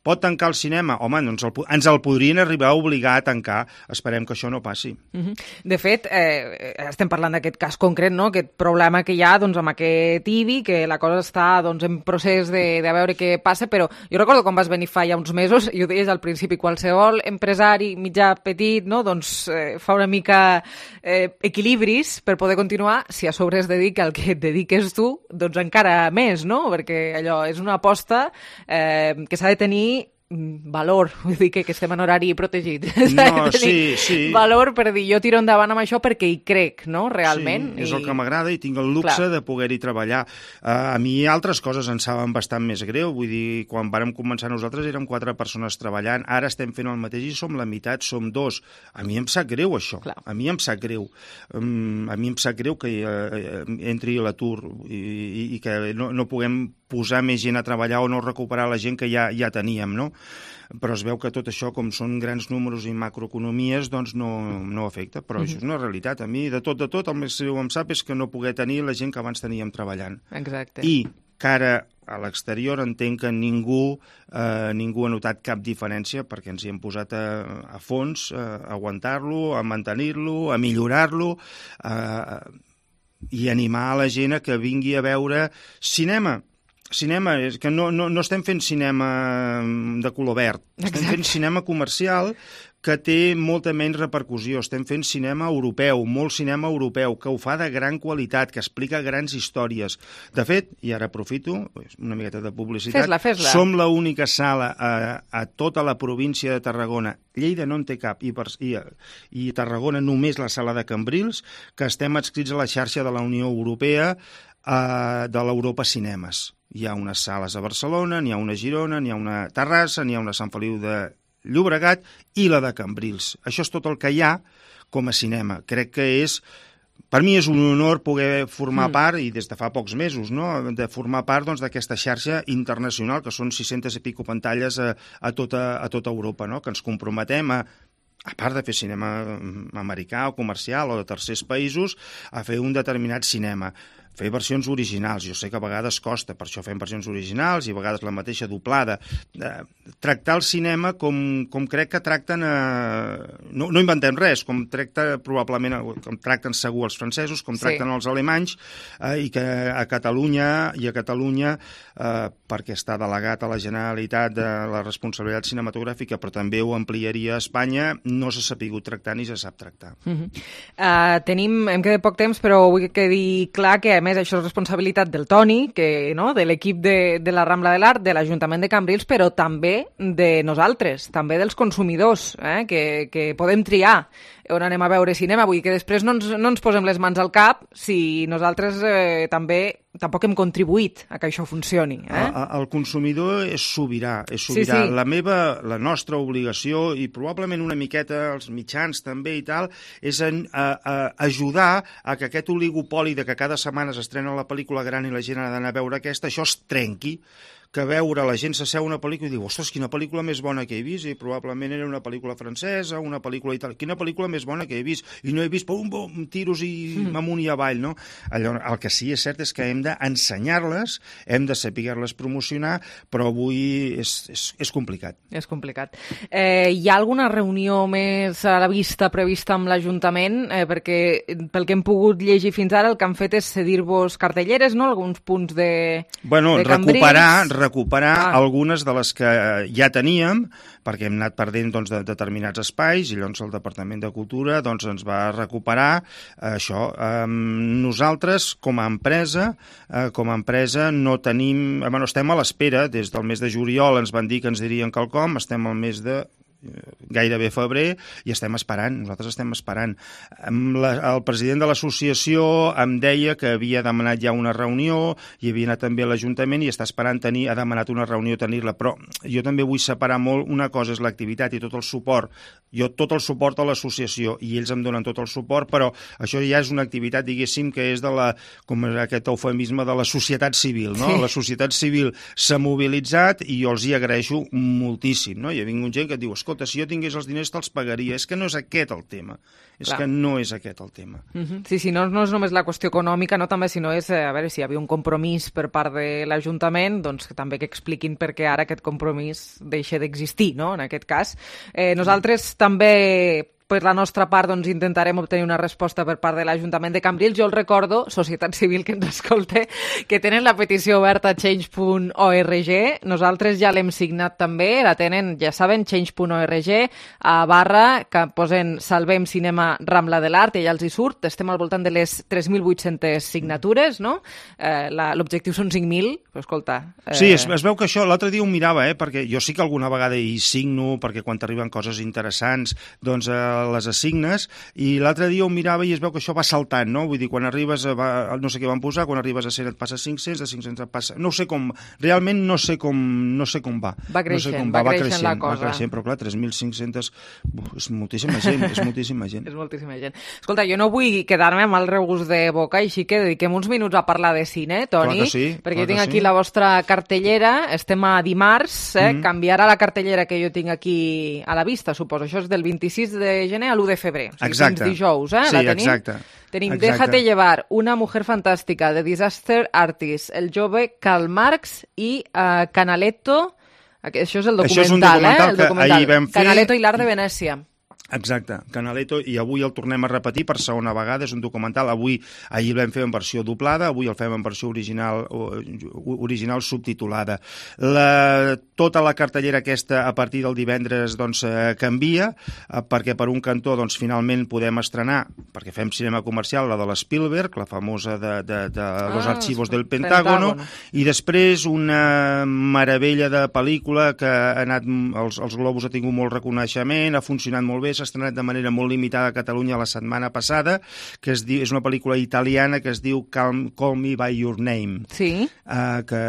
pot tancar el cinema? Home, ens el podrien arribar a obligar a tancar. Esperem que això no passi. De fet, estem parlant d'aquest cas concret, no? Aquest problema que hi ha doncs, amb aquest IBI, que la cosa està doncs, en procés de veure què passa, però jo recordo quan vas venir fa ja uns mesos, i ho deies al principi, qualsevol empresari mitjà petit no? Doncs, fa una mica equilibris per poder continuar, si a sobre es dedica al que et dediques tu, doncs encara més, no? Perquè allò és una aposta que s'ha de tenir valor, vull dir que estem en horari protegit. No, sí. Valor per dir, jo tiro endavant amb això perquè hi crec, no?, realment. Sí, és el que m'agrada i tinc el luxe de poder-hi treballar. A mi altres coses em saben bastant més greu, vull dir, quan vàrem començar nosaltres érem 4 persones treballant, ara estem fent el mateix i som la meitat, som 2. A mi em sap greu això, a mi em sap greu. A mi em sap greu que entri a l'atur i que no puguem posar més gent a treballar o no recuperar la gent que ja teníem, no? Però es veu que tot això, com són grans números i macroeconomies, doncs no afecta, però això és una realitat. A mi, de tot, el més greu em sap és que no poder tenir la gent que abans teníem treballant. Exacte. I que ara a l'exterior entenc que ningú ha notat cap diferència perquè ens hi hem posat a fons, a aguantar-lo, a mantenir-lo, a millorar-lo, i animar a la gent a que vingui a veure cinema. Cinema, és que no estem fent cinema de color verd, estem fent cinema comercial que té molta menys repercussió. Estem fent cinema europeu, molt cinema europeu, que ho fa de gran qualitat, que explica grans històries. De fet, i ara aprofito, una miqueta de publicitat, Fes-la. som l'única sala a tota la província de Tarragona, Lleida no en té cap, i Tarragona només la sala de Cambrils, que estem adscrits a la xarxa de la Unió Europea de l'Europa Cinemes. Hi ha unes sales a Barcelona, n'hi ha una a Girona, n'hi ha una a Terrassa, n'hi ha una a Sant Feliu de Llobregat i la de Cambrils. Això és tot el que hi ha com a cinema. Crec que per mi és un honor poder formar part, i des de fa pocs mesos, no?, de formar part d'aquesta xarxa internacional, que són 600 i pico pantalles a tota Europa, no?, que ens comprometem a part de fer cinema americà o comercial o de tercers països, a fer un determinat cinema. Fer versions originals, jo sé que a vegades costa, per això fem versions originals i a vegades la mateixa doblada. Tractar el cinema com crec que tracten... No inventem res, com tracten segur els francesos, com tracten els alemanys, i que a Catalunya, perquè està delegat a la Generalitat de la responsabilitat cinematogràfica, però també ho ampliaria a Espanya, no s'ha sapigut tractar ni se sap tractar. Hem quedat poc temps, però vull que quedi clar que, a més, això és responsabilitat del Toni, de l'equip de la Rambla de l'Art, de l'Ajuntament de Cambrils, però també de nosaltres, també dels consumidors, que podem triar on anem a veure cinema. Vull dir que després no ens posem les mans al cap si nosaltres tampoc hem contribuït a que això funcioni. El consumidor és sobirà. Sí. La nostra obligació, i probablement una miqueta els mitjans també i tal, és ajudar a que aquest oligopoli de que cada setmana s'estrena la pel·lícula gran i la gent ha d'anar a veure aquesta, això es trenqui, que veure la gent s'asseu una pel·lícula i diu, ostres, quina pel·lícula més bona que he vist, i probablement era una pel·lícula francesa, una pel·lícula italiana, quina pel·lícula més bona que he vist, i no he vist tiros i amunt i avall, no? El que sí és cert és que hem d'ensenyar-les, hem de saber-les promocionar, però avui és complicat. És complicat. Hi ha alguna reunió més a la vista prevista amb l'Ajuntament? Perquè pel que hem pogut llegir fins ara, el que han fet és cedir-vos cartelleres, no? Alguns punts de Cambrils. Recuperar algunes de les que ja teníem, perquè hem anat perdent de determinats espais, i llavors el Departament de Cultura ens va recuperar això. Nosaltres, com a empresa, no tenim... estem a l'espera, des del mes de juliol ens van dir que ens dirien quelcom, estem al mes de gairebé febrer, i nosaltres estem esperant. El president de l'associació em deia que havia demanat ja una reunió, i havia anat també a l'Ajuntament i està esperant ha demanat una reunió, tenir-la, però jo també vull separar molt, una cosa és l'activitat i tot el suport, jo tot el suport a l'associació, i ells em donen tot el suport, però això ja és una activitat, diguéssim, que és com aquest eufemisme de la societat civil, no? La societat civil s'ha mobilitzat i jo els hi agraeixo moltíssim, no? Hi ha vingut gent que et diu, escolta, si jo tingués els diners te'ls pagaria. És que no és aquest el tema. Sí, no és només la qüestió econòmica, no, també, sinó és, a veure, si hi havia un compromís per part de l'Ajuntament, doncs també que expliquin per què ara aquest compromís deixa d'existir, no?, en aquest cas. Nosaltres també... per la nostra part, intentarem obtenir una resposta per part de l'Ajuntament de Cambrils. Jo el recordo, societat civil que ens escolte, que tenen la petició oberta a change.org. Nosaltres ja l'hem signat també, la tenen, ja saben, change.org, / que posen Salvem Cinema Rambla de l'Art, i ja els hi surt. Estem al voltant de les 3.800 signatures, no? L'objectiu són 5.000, però escolta... Sí, es veu que això, l'altre dia ho mirava, perquè jo sí que alguna vegada hi signo, perquè quan t'arriben coses interessants, les assignes, i l'altre dia ho mirava i es veu que això va saltant, no? Vull dir, quan arribes no sé què van posar, quan arribes a 100 et passa 500, de 500 et passa... No sé com, realment no sé com va. Va creixent la cosa. Va creixent, però clar, 3.500... És moltíssima gent, és moltíssima gent. És moltíssima gent. Escolta, jo no vull quedar-me amb el regust de boca, així que dediquem uns minuts a parlar de cine, Toni, perquè jo tinc aquí la vostra cartellera, estem a dimarts, canviarà la cartellera que jo tinc aquí a la vista, suposo. Això és del 26 de gener a l'1 de febrer. O sigui, fins dijous, la tenim? Exacte. Tenim Déjate llevar, Una mujer fantástica, de Disaster Artist, El jove Karl Marx i Canaletto. Això és el documental, el documental que ahir vam fer. Canaletto i l'art de Venècia. Exacte, Canaletto, i avui el tornem a repetir per segona vegada, és un documental, ahir el vam fer en versió doblada, avui el fem en versió original subtitulada. Tota la cartellera aquesta a partir del divendres canvia, perquè per un cantó finalment podem estrenar, perquè fem cinema comercial, la de l'Spielberg, la famosa de Los Archivos del Pentágono, i després una meravella de pel·lícula que ha anat, els Globus ha tingut molt reconeixement, ha funcionat molt bé, s'ha estrenat de manera molt limitada a Catalunya la setmana passada, que és una pel·lícula italiana que es diu Call Me By Your Name, que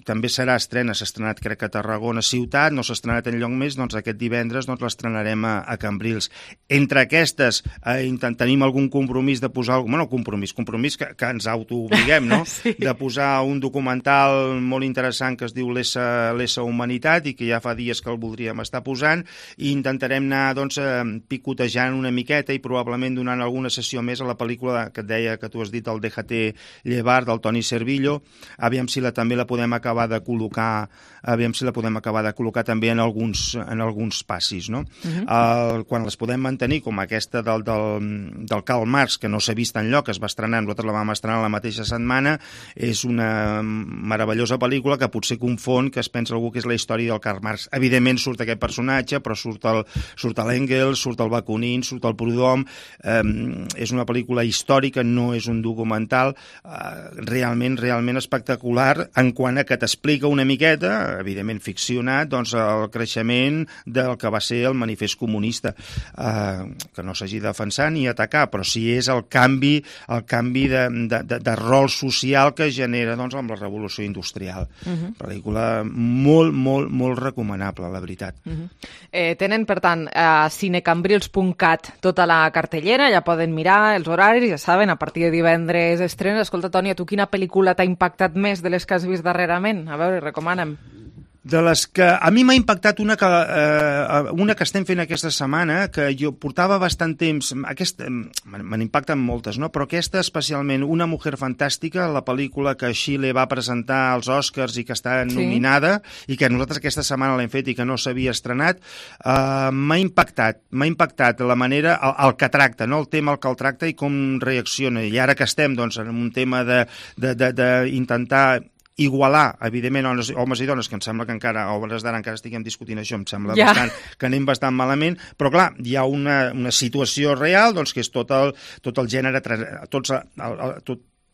també serà estrena, s'ha estrenat crec que a Tarragona ciutat, no s'ha estrenat enlloc més, aquest divendres l'estrenarem a Cambrils. Entre aquestes tenim algun compromís de posar, compromís que ens autoobliguem, no? De posar un documental molt interessant que es diu L'Essa Humanitat i que ja fa dies que el voldríem estar posant, i intentarem anar picotejant una miqueta i probablement donant alguna sessió més a la pel·lícula que et deia, que tu has dit, el Déjate llevar, del Toni Servillo. Aviam si també la podem acabar de col·locar també en alguns passis, no? Quan les podem mantenir, com aquesta del Karl Marx, que no s'ha vist enlloc, es va estrenar, nosaltres la vam estrenar la mateixa setmana, és una meravellosa pel·lícula que potser confon, que es pensa algú que és la història del Karl Marx. Evidentment surt aquest personatge, però surt l'Engels, surt el Bakunin, surt el Proudhon. És una pel·lícula històrica, no és un documental, realment espectacular en quant a que t'explica una miqueta, evidentment ficcionat, el creixement del que va ser el manifest comunista, que no s'hagi de defensar ni atacar, però sí és el canvi de rol social que genera amb la revolució industrial. Pel·lícula molt recomanable, la veritat. Tenen, per tant, a cinecambrils.cat tota la cartellera, ja poden mirar els horaris, ja saben, a partir de divendres estrena. Escolta, Toni, a tu quina pel·lícula t'ha impactat més de les que has vist darrerament? A veure, recomana'm. De les que a mi m'ha impactat una que estem fent aquesta setmana, que jo portava bastant temps, me n'impacten moltes, no? Però aquesta especialment, Una mujer fantàstica, la pel·lícula que Xile va presentar als Oscars i que està nominada, i que nosaltres aquesta setmana l'hem fet i que no s'havia estrenat, m'ha impactat la manera, el que tracta, no? El tema el que el tracta i com reacciona. I ara que estem en un tema d'intentar igualar, evidentment, homes i dones, que em sembla que encara, a hores d'ara encara estiguem discutint això, em sembla bastant que anem bastant malament, però clar, hi ha una situació real, que és tot el gènere,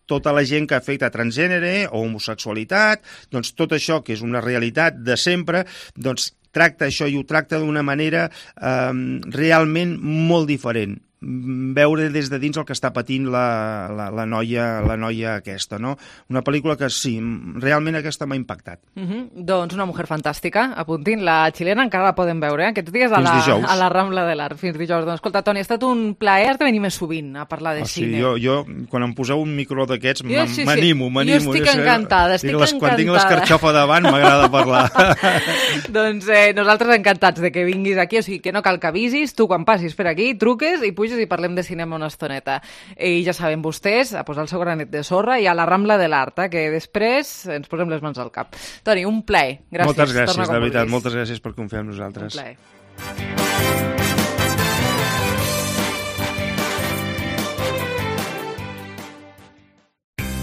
tota la gent que afecta transgènere o homosexualitat, tot això que és una realitat de sempre, tracta això i ho tracta d'una manera realment molt diferent. Veure des de dins el que està patint la noia aquesta, no? Una pel·lícula que sí, realment aquesta m'ha impactat. Doncs Una mujer fantàstica, apuntin, la xilena encara la podem veure, aquests dies a la Rambla de l'Art, fins dijous. Doncs escolta, Toni, ha estat un plaer de venir més sovint a parlar de cine. Jo, quan em poseu un micro d'aquests, m'animo. Jo estic encantada, Quan tinc l'escarxofa davant m'agrada parlar. Doncs nosaltres encantats de que vinguis aquí, o sigui que no cal que avisis, tu quan passis per aquí, truques i puges i parlem de cinema una estoneta. I ja saben vostès, a posar el seu granet de sorra i a la Rambla de l'Art, que després ens posem les mans al cap. Toni, un plaer. Gràcies. Moltes gràcies, de veritat. Moltes gràcies per confiar en nosaltres. Un plaer.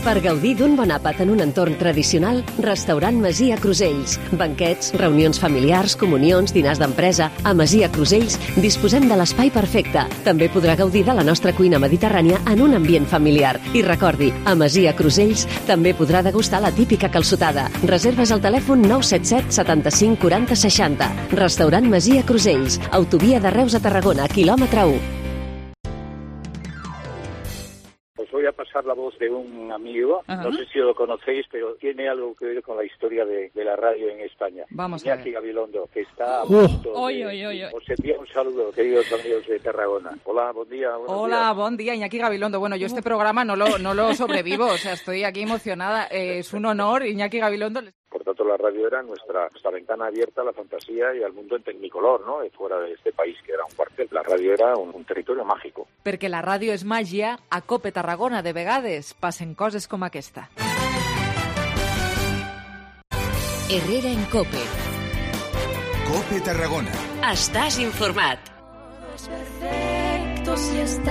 Per gaudir d'un bon àpat en un entorn tradicional, Restaurant Masia Crusells. Banquets, reunions familiars, comunions, dinars d'empresa. A Masia Crusells disposem de l'espai perfecte. També podrà gaudir de la nostra cuina mediterrània en un ambient familiar. I recordi, a Masia Crusells també podrà degustar la típica calçotada. Reserves al telèfon 977 75 40 60. Restaurant Masia Crusells. Autovia de Reus a Tarragona, quilòmetre 1. Voy a pasar la voz de un amigo, no sé si lo conocéis, pero tiene algo que ver con la historia de la radio en España. Vamos a ver. Iñaki Gabilondo, que está a punto os envía un saludo, queridos amigos de Tarragona. Hola, buen día. Hola, buen día, Iñaki Gabilondo. Bueno, yo este programa no lo sobrevivo, o sea, estoy aquí emocionada. Es un honor, Iñaki Gabilondo. Por tanto, la radio era nuestra ventana abierta a la fantasía y al mundo en tecnicolor, ¿no? Fuera de este país, que era un cuartel. La radio era un territorio mágico. Perquè la ràdio és màgia, a Cope Tarragona de vegades passen coses com aquesta. Herrera en Cope. Cope Tarragona. Estàs informat. Perfecto si estás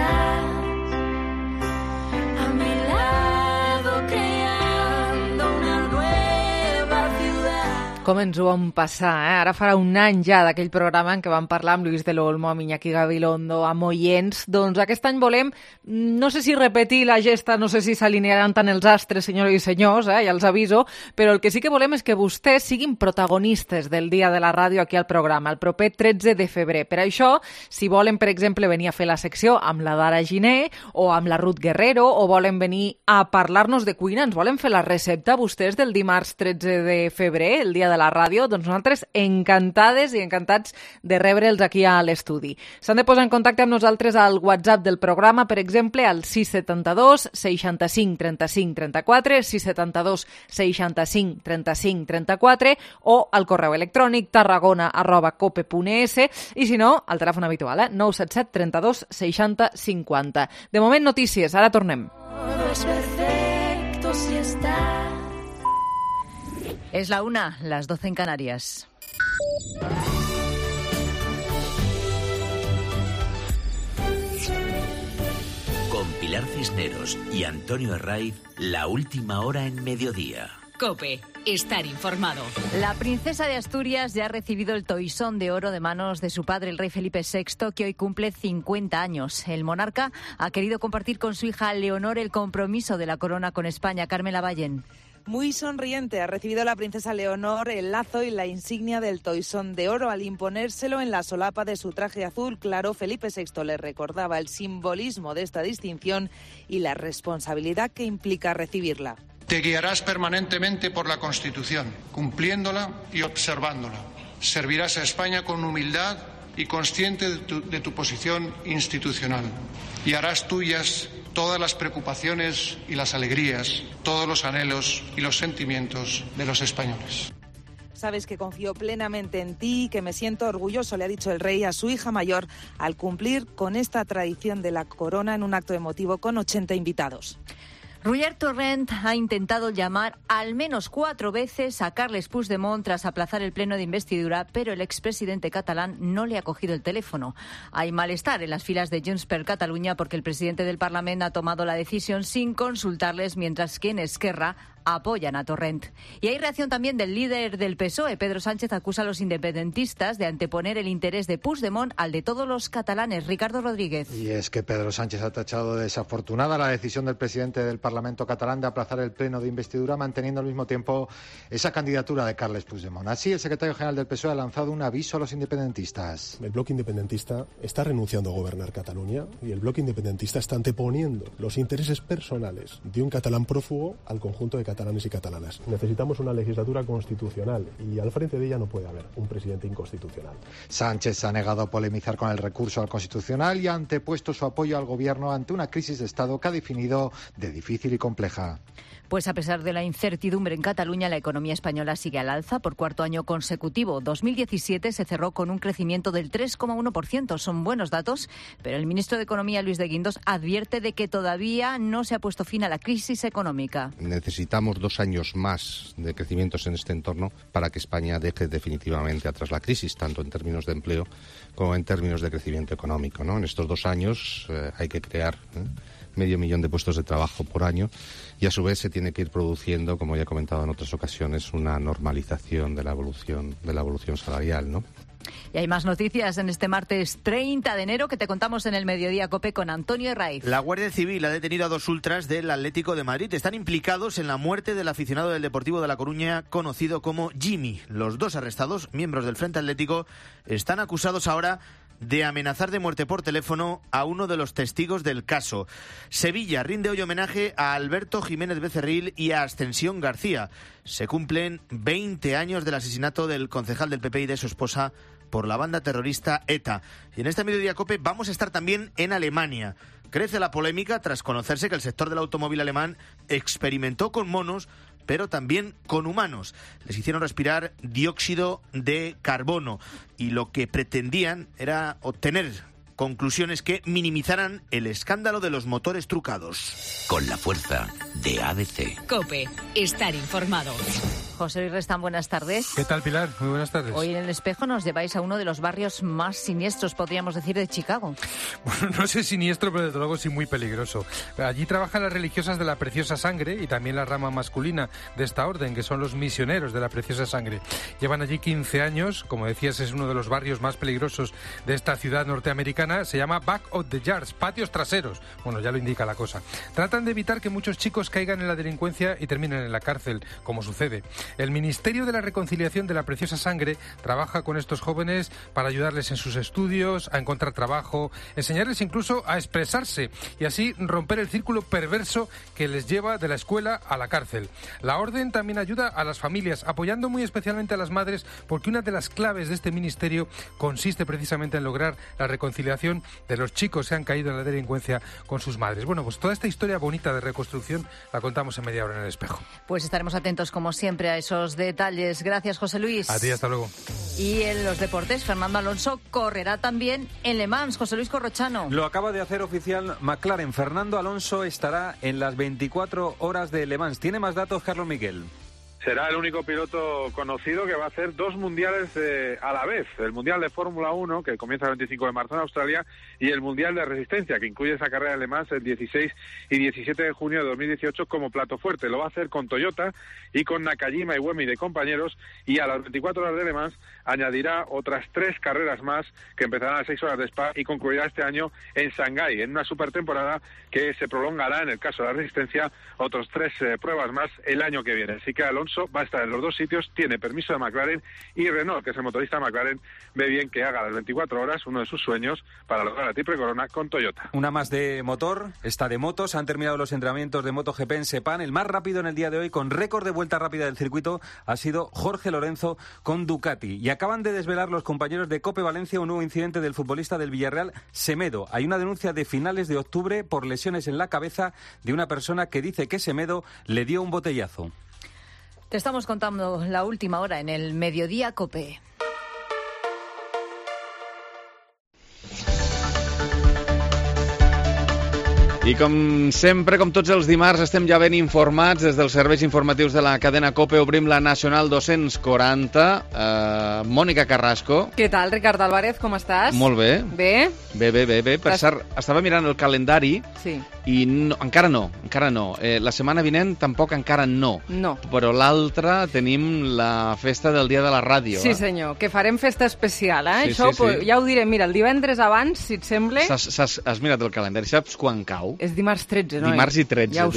a mi lado creando una nueva ciudad. Com ens ho vam passar, eh? Ara farà un any ja d'aquell programa en què vam parlar amb Luis del Olmo, amb Iñaki Gabilondo, amb Oients. Doncs aquest any volem, no sé si repetir la gesta, no sé si s'alinearan tant els astres, senyores i senyors, ja els aviso, però el que sí que volem és que vostès siguin protagonistes del Dia de la Ràdio aquí al programa, el proper 13 de febrer. Per això, si volen, per exemple, venir a fer la secció amb la Dara Giner o amb la Ruth Guerrero, o volen venir a parlar-nos de cuina, ens volen fer la recepta vostès del dimarts 13 de febrer, el Dia de la Ràdio, doncs nosaltres encantades i encantats de rebre'ls aquí a l'estudi. S'han de posar en contacte amb nosaltres al WhatsApp del programa, per exemple, al 672 65 35 34, 672 65 35 34, o al correu electrònic tarragona@cope.es, i si no, al telèfon habitual, 977 32 60 50. De moment, notícies. Ara tornem. Todo es perfecto si estás. Es la 1, las 12 en Canarias. Con Pilar Cisneros y Antonio Herraiz, la última hora en mediodía. COPE, estar informado. La princesa de Asturias ya ha recibido el toisón de oro de manos de su padre, el rey Felipe VI, que hoy cumple 50 años. El monarca ha querido compartir con su hija Leonor el compromiso de la corona con España. Carmela Ballén. Muy sonriente ha recibido la princesa Leonor el lazo y la insignia del toisón de oro. Al imponérselo en la solapa de su traje azul claro, Felipe VI le recordaba el simbolismo de esta distinción y la responsabilidad que implica recibirla. Te guiarás permanentemente por la Constitución, cumpliéndola y observándola. Servirás a España con humildad y consciente de tu posición institucional. Y harás tuyas todas las preocupaciones y las alegrías, todos los anhelos y los sentimientos de los españoles. Sabes que confío plenamente en ti y que me siento orgulloso, le ha dicho el rey a su hija mayor al cumplir con esta tradición de la corona en un acto emotivo con 80 invitados. Roger Torrent ha intentado llamar al menos 4 veces a Carles Puigdemont tras aplazar el pleno de investidura, pero el expresidente catalán no le ha cogido el teléfono. Hay malestar en las filas de Junts per Catalunya porque el presidente del Parlamento ha tomado la decisión sin consultarles, mientras que en Esquerra apoyan a Torrent. Y hay reacción también del líder del PSOE. Pedro Sánchez acusa a los independentistas de anteponer el interés de Puigdemont al de todos los catalanes. Ricardo Rodríguez. Y es que Pedro Sánchez ha tachado de desafortunada la decisión del presidente del Parlamento catalán de aplazar el pleno de investidura, manteniendo al mismo tiempo esa candidatura de Carles Puigdemont. Así, el secretario general del PSOE ha lanzado un aviso a los independentistas. El bloque independentista está renunciando a gobernar Cataluña y el bloque independentista está anteponiendo los intereses personales de un catalán prófugo al conjunto de catalanes y catalanas. Necesitamos una legislatura constitucional y al frente de ella no puede haber un presidente inconstitucional. Sánchez se ha negado a polemizar con el recurso al Constitucional y ha antepuesto su apoyo al gobierno ante una crisis de Estado que ha definido de difícil y compleja. Pues a pesar de la incertidumbre en Cataluña, la economía española sigue al alza por cuarto año consecutivo. 2017 se cerró con un crecimiento del 3,1%. Son buenos datos, pero el ministro de Economía, Luis de Guindos, advierte de que todavía no se ha puesto fin a la crisis económica. Necesitamos 2 años más de crecimientos en este entorno para que España deje definitivamente atrás la crisis, tanto en términos de empleo como en términos de crecimiento económico, ¿no? En estos 2 años hay que crear 500.000 de puestos de trabajo por año y a su vez se tiene que ir produciendo, como ya he comentado en otras ocasiones, una normalización de la evolución salarial, ¿no? Y hay más noticias en este martes 30 de enero que te contamos en el Mediodía COPE con Antonio Herraiz. La Guardia Civil ha detenido a 2 ultras del Atlético de Madrid. Están implicados en la muerte del aficionado del Deportivo de La Coruña conocido como Jimmy. Los 2 arrestados, miembros del Frente Atlético, están acusados ahora de amenazar de muerte por teléfono a uno de los testigos del caso. Sevilla rinde hoy homenaje a Alberto Jiménez Becerril y a Ascensión García. Se cumplen 20 años del asesinato del concejal del PP y de su esposa por la banda terrorista ETA. Y en este Mediodía COPE vamos a estar también en Alemania. Crece la polémica tras conocerse que el sector del automóvil alemán experimentó con monos, pero también con humanos. Les hicieron respirar dióxido de carbono y lo que pretendían era obtener conclusiones que minimizaran el escándalo de los motores trucados. Con la fuerza de ABC. COPE, estar informado. José Luis Restán, buenas tardes. ¿Qué tal, Pilar? Muy buenas tardes. Hoy en El Espejo nos lleváis a uno de los barrios más siniestros, podríamos decir, de Chicago. Bueno, no sé siniestro, pero desde luego sí muy peligroso. Allí trabajan las religiosas de la Preciosa Sangre y también la rama masculina de esta orden, que son los misioneros de la Preciosa Sangre. Llevan allí 15 años, como decías, es uno de los barrios más peligrosos de esta ciudad norteamericana. Se llama Back of the Yards, patios traseros. Bueno, ya lo indica la cosa. Tratan de evitar que muchos chicos caigan en la delincuencia y terminen en la cárcel, como sucede. El Ministerio de la Reconciliación de la Preciosa Sangre trabaja con estos jóvenes para ayudarles en sus estudios, a encontrar trabajo, enseñarles incluso a expresarse y así romper el círculo perverso que les lleva de la escuela a la cárcel. La orden también ayuda a las familias, apoyando muy especialmente a las madres, porque una de las claves de este ministerio consiste precisamente en lograr la reconciliación de los chicos que han caído en la delincuencia con sus madres. Bueno, pues toda esta historia bonita de reconstrucción la contamos en media hora en El Espejo. Pues estaremos atentos, como siempre, a esos detalles. Gracias, José Luis. A ti, hasta luego. Y en los deportes, Fernando Alonso correrá también en Le Mans. José Luis Corrochano. Lo acaba de hacer oficial McLaren. Fernando Alonso estará en las 24 horas de Le Mans. Tiene más datos, Carlos Miguel. Será el único piloto conocido que va a hacer 2 mundiales a la vez. El Mundial de Fórmula 1, que comienza el 25 de marzo en Australia, y el Mundial de Resistencia, que incluye esa carrera de Le Mans el 16 y 17 de junio de 2018 como plato fuerte. Lo va a hacer con Toyota y con Nakajima y Iwemi de compañeros, y a las 24 horas de Le Mans añadirá otras 3 carreras más que empezarán a las 6 horas de Spa y concluirá este año en Shanghái, en una supertemporada que se prolongará, en el caso de la Resistencia, otros 3 pruebas más el año que viene. Así que Alonso va a estar en los 2 sitios, tiene permiso de McLaren, y Renault, que es el motorista de McLaren, ve bien que haga las 24 horas, uno de sus sueños, para lograr la triple corona con Toyota. Una más de motor, esta de motos. Han terminado los entrenamientos de MotoGP en Sepang. El más rápido en el día de hoy, con récord de vuelta rápida del circuito, ha sido Jorge Lorenzo con Ducati. Y acaban de desvelar los compañeros de COPE Valencia un nuevo incidente del futbolista del Villarreal, Semedo. Hay una denuncia de finales de octubre por lesiones en la cabeza de una persona que dice que Semedo le dio un botellazo. Te estamos contando la última hora en el Mediodía COPE. I com sempre, com tots els dimarts, estem ja ben informats des dels serveis informatius de la cadena COPE. Obrim la Nacional 240. Mònica Carrasco. Què tal, Ricard Álvarez, com estàs? Molt bé. Bé? Bé. Per cert, estava mirant el calendari i no, encara no. La setmana vinent tampoc encara no. Però l'altra tenim la festa del Dia de la Ràdio. Sí, senyor, que farem festa especial, eh? Sí, Això sí. ja ho diré. Mira, el divendres abans, si et sembla... Has mirat el calendari, saps quan cau? És dimarts 13, no? Dimarts i 13. Ja ho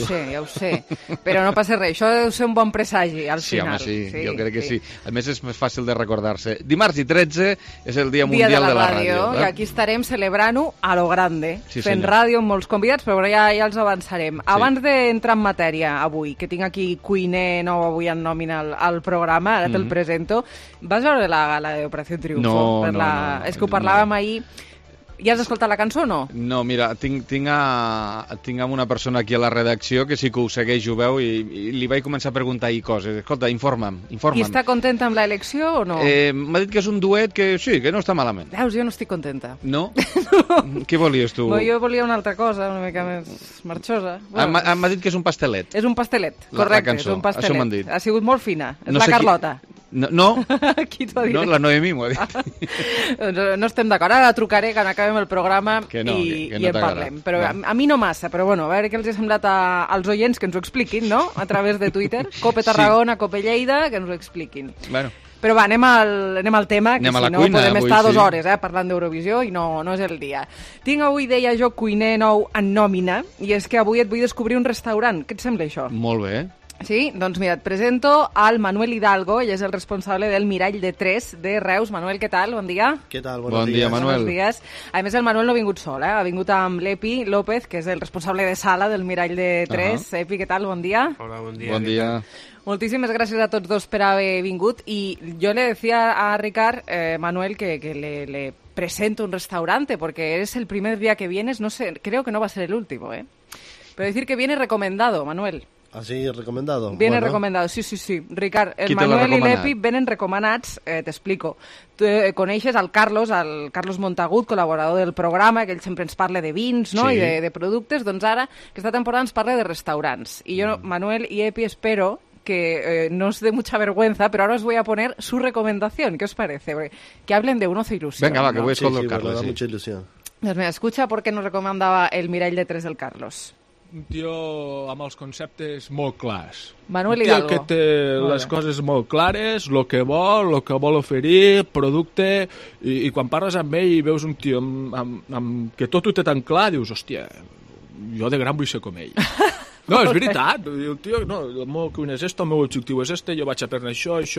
sé. Però no passa res, això deu ser un bon presagi al final. Sí, jo crec que sí. A més, és més fàcil de recordar-se. Dimarts i 13 és el Dia Mundial de la Ràdio. I aquí estarem celebrant-ho a lo grande, sí, fent senyor. ràdio amb molts convidats, però ja els avançarem. Sí. Abans d'entrar en matèria avui, que tinc aquí cuiner nou avui en nòmina al programa, ara te'l presento, vas veure la gala d'Operació Triunfo? No. És que ho parlàvem ahir. Ja has escoltat la cançó o no? No, mira, tinc una persona aquí a la redacció que sí que ho segueix, ho veu, i li vaig començar a preguntar coses. Escolta, informa'm. I està contenta amb l'elecció o no? M'ha dit que és un duet que sí, que no està malament. Veus, jo no estic contenta. No? Què volies tu? Jo volia una altra cosa, una mica més marxosa. M'ha dit que és un pastelet. És un pastelet, correcte, és un pastelet. Això m'han dit. Ha sigut molt fina, és la Carlota. No, qui t'ho ha dit? No, la Noemí m'ho ha dit. No estem d'acord, ara la trucaré quan acabem el programa que no en parlem. Però a mi no massa, però bueno, a veure què els ha semblat als oients, que ens ho expliquin, no? A través de Twitter, Cope Tarragona, Cope Lleida, que ens ho expliquin. Bueno. Però va, anem al tema, que si no podem estar 2 hores parlant d'Eurovisió i no és el dia. Tinc avui, deia jo, cuiner nou en nòmina, i és que avui et vull descobrir un restaurant. Què et sembla això? Molt bé. Sí? Doncs mira, et presento al Manuel Hidalgo, ell és el responsable del Mirall de 3 de Reus. Manuel, què tal? Bon dia. Què tal? Bon dia, Manuel. Buenos días. A més, el Manuel no ha vingut sol, ha vingut amb l'Epi López, que és el responsable de sala del Mirall de 3. Epi, què tal? Bon dia. Hola, bon dia. Bon dia. Moltíssimes gràcies a tots dos per haver vingut. I jo le decía a Ricard, Manuel, que le presento un restaurante, porque eres el primer día que vienes, no sé, creo que no va a ser el último, Pero decir que viene recomendado, Manuel. ¿Así recomendado? Viene recomendado, sí. Ricard, el Manuel i l'Epi venen recomanats, t'explico. Tu coneixes el Carlos Montagut, col·laborador del programa, que ell sempre ens parla de vins, no? Sí. I de productes. Doncs ara, aquesta temporada ens parla de restaurants. I jo, Manuel i Epi, espero que no os dé mucha vergüenza, pero ahora os voy a poner su recomendación. ¿Qué os parece? Que hablen de un ocio ilusión. Venga, va, que voy a Carlos. Carlos. Da mucha ilusión. Doncs mira, escucha por què nos recomendava el Mirall de 3 del Carlos. Un tio amb els conceptes molt clars. Manuel Hidalgo. Hidalgo. Un tio que té les coses molt clares, el que vol oferir, producte, i quan parles amb ell i veus un tio amb que tot ho té tan clar, dius, hòstia, jo de gran vull ser com ell. No, és veritat. El tio, no, el meu cuina és el meu objectiu és jo vaig aprendre això. I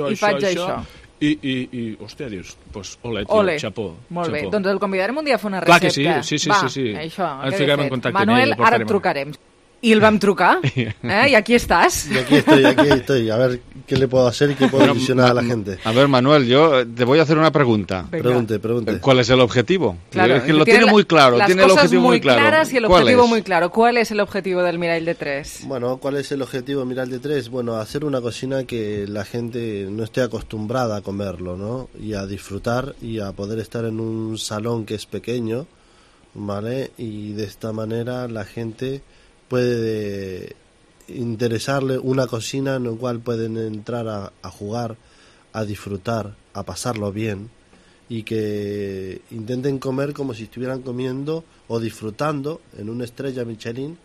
hòstia, dius, pues, ole, tio, xapó. Molt bé, doncs el convidarem un dia a fer una recepta. Clar que sí. Va, això, ens ficarem en contacte Manuel, amb ell. ara et trucarem. Y el vam trucar, y aquí estás. Y aquí estoy. A ver qué le puedo hacer y qué puedo ilusionar a la gente. A ver, Manuel, yo te voy a hacer una pregunta. Pregunte. ¿Cuál es el objetivo? Claro, es que lo tiene muy claro. Tiene el objetivo muy claro. Claras y el objetivo muy claro. ¿Cuál es el objetivo del Mirall de 3? Bueno, ¿cuál es el objetivo del Mirall de 3? Bueno, hacer una cocina que la gente no esté acostumbrada a comerlo, ¿no? Y a disfrutar y a poder estar en un salón que es pequeño, ¿vale? Y de esta manera la gente puede interesarle una cocina en la cual pueden entrar a jugar, a disfrutar, a pasarlo bien, y que intenten comer como si estuvieran comiendo o disfrutando en una estrella Michelin,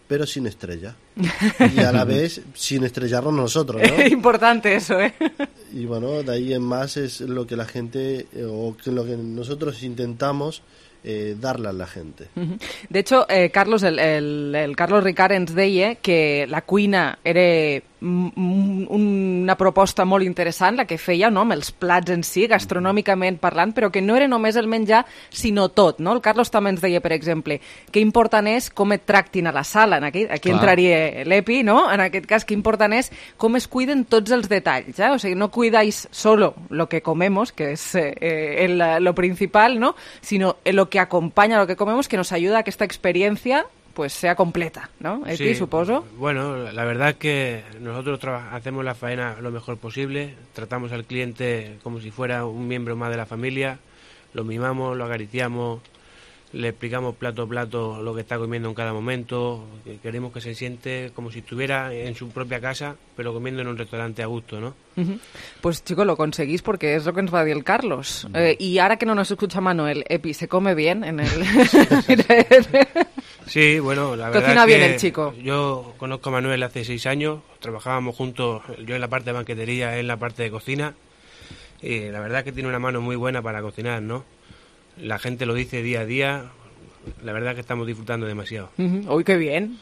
pero sin estrella. Y a la vez sin estrellarnos nosotros, ¿no? Importante eso, ¿eh? Y bueno, de ahí en más es lo que la gente, o que lo que nosotros intentamos darle a la gente. De hecho, Carlos, el Carlos Ricard ens deia que la cuina era una proposta molt interessant, la que feia, no?, amb els plats en si, gastronòmicament parlant, però que no era només el menjar, sinó tot, no? El Carlos també ens deia, per exemple, que important és com et tractin a la sala, aquí entraria l'Epi, no? En aquest cas, que important és com es cuiden tots els detalls, o sigui, no cuidáis solo lo que comemos, que es lo principal, ¿no?, sino lo que acompaña a lo que comemos, que nos ayuda a que esta experiencia pues sea completa, ¿no? Epi, sí, suposo. Bueno, la verdad es que nosotros hacemos la faena lo mejor posible, tratamos al cliente como si fuera un miembro más de la familia, lo mimamos, lo acariciamos, le explicamos plato a plato lo que está comiendo en cada momento, queremos que se siente como si estuviera en su propia casa, pero comiendo en un restaurante a gusto, ¿no? Pues chicos, lo conseguís porque es lo que nos va a decir el Carlos. Y ahora que no nos escucha Manuel, Epi, ¿se come bien en el...? Sí, bueno, la verdad cocina es que bien el chico. Yo conozco a Manuel hace 6 años, trabajábamos juntos, yo en la parte de banquetería, él en la parte de cocina, y la verdad es que tiene una mano muy buena para cocinar, ¿no? La gente lo dice día a día, la verdad es que estamos disfrutando demasiado. Uy, qué bien,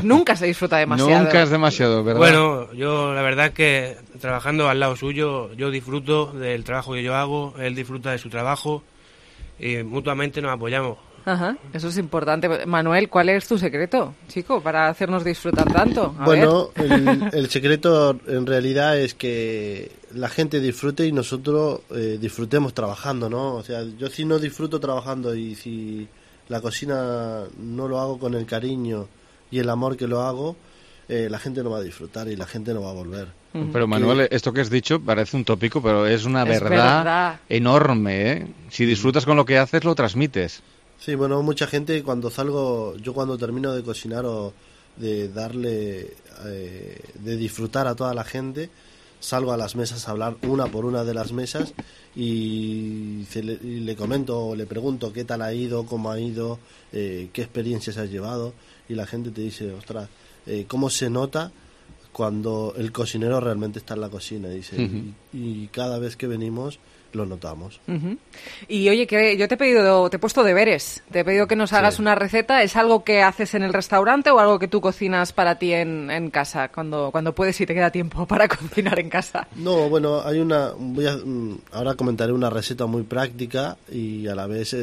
nunca se disfruta demasiado. Nunca es demasiado, ¿verdad? Bueno, yo la verdad es que trabajando al lado suyo, yo disfruto del trabajo que yo hago, él disfruta de su trabajo y mutuamente nos apoyamos. Ajá, eso es importante. Manuel, ¿cuál es tu secreto, chico, para hacernos disfrutar tanto? Bueno, el secreto en realidad es que la gente disfrute y nosotros disfrutemos trabajando, ¿no? O sea, yo si no disfruto trabajando y si la cocina no lo hago con el cariño y el amor que lo hago, la gente no va a disfrutar y la gente no va a volver. Pero Manuel, esto que has dicho parece un tópico, pero es una verdad enorme, ¿eh? Si disfrutas con lo que haces, lo transmites. Sí, bueno, mucha gente cuando termino de cocinar o de darle, de disfrutar a toda la gente, salgo a las mesas a hablar una por una de las mesas y le comento o le pregunto qué tal ha ido, cómo ha ido, qué experiencias has llevado, y la gente te dice, ostras, cómo se nota cuando el cocinero realmente está en la cocina, dice, y cada vez que venimos lo notamos. Y oye, que yo te he puesto deberes, te he pedido que nos hagas una receta. ¿Es algo que haces en el restaurante o algo que tú cocinas para ti en casa, cuando puedes y te queda tiempo para cocinar en casa? No, bueno, ahora comentaré una receta muy práctica y a la vez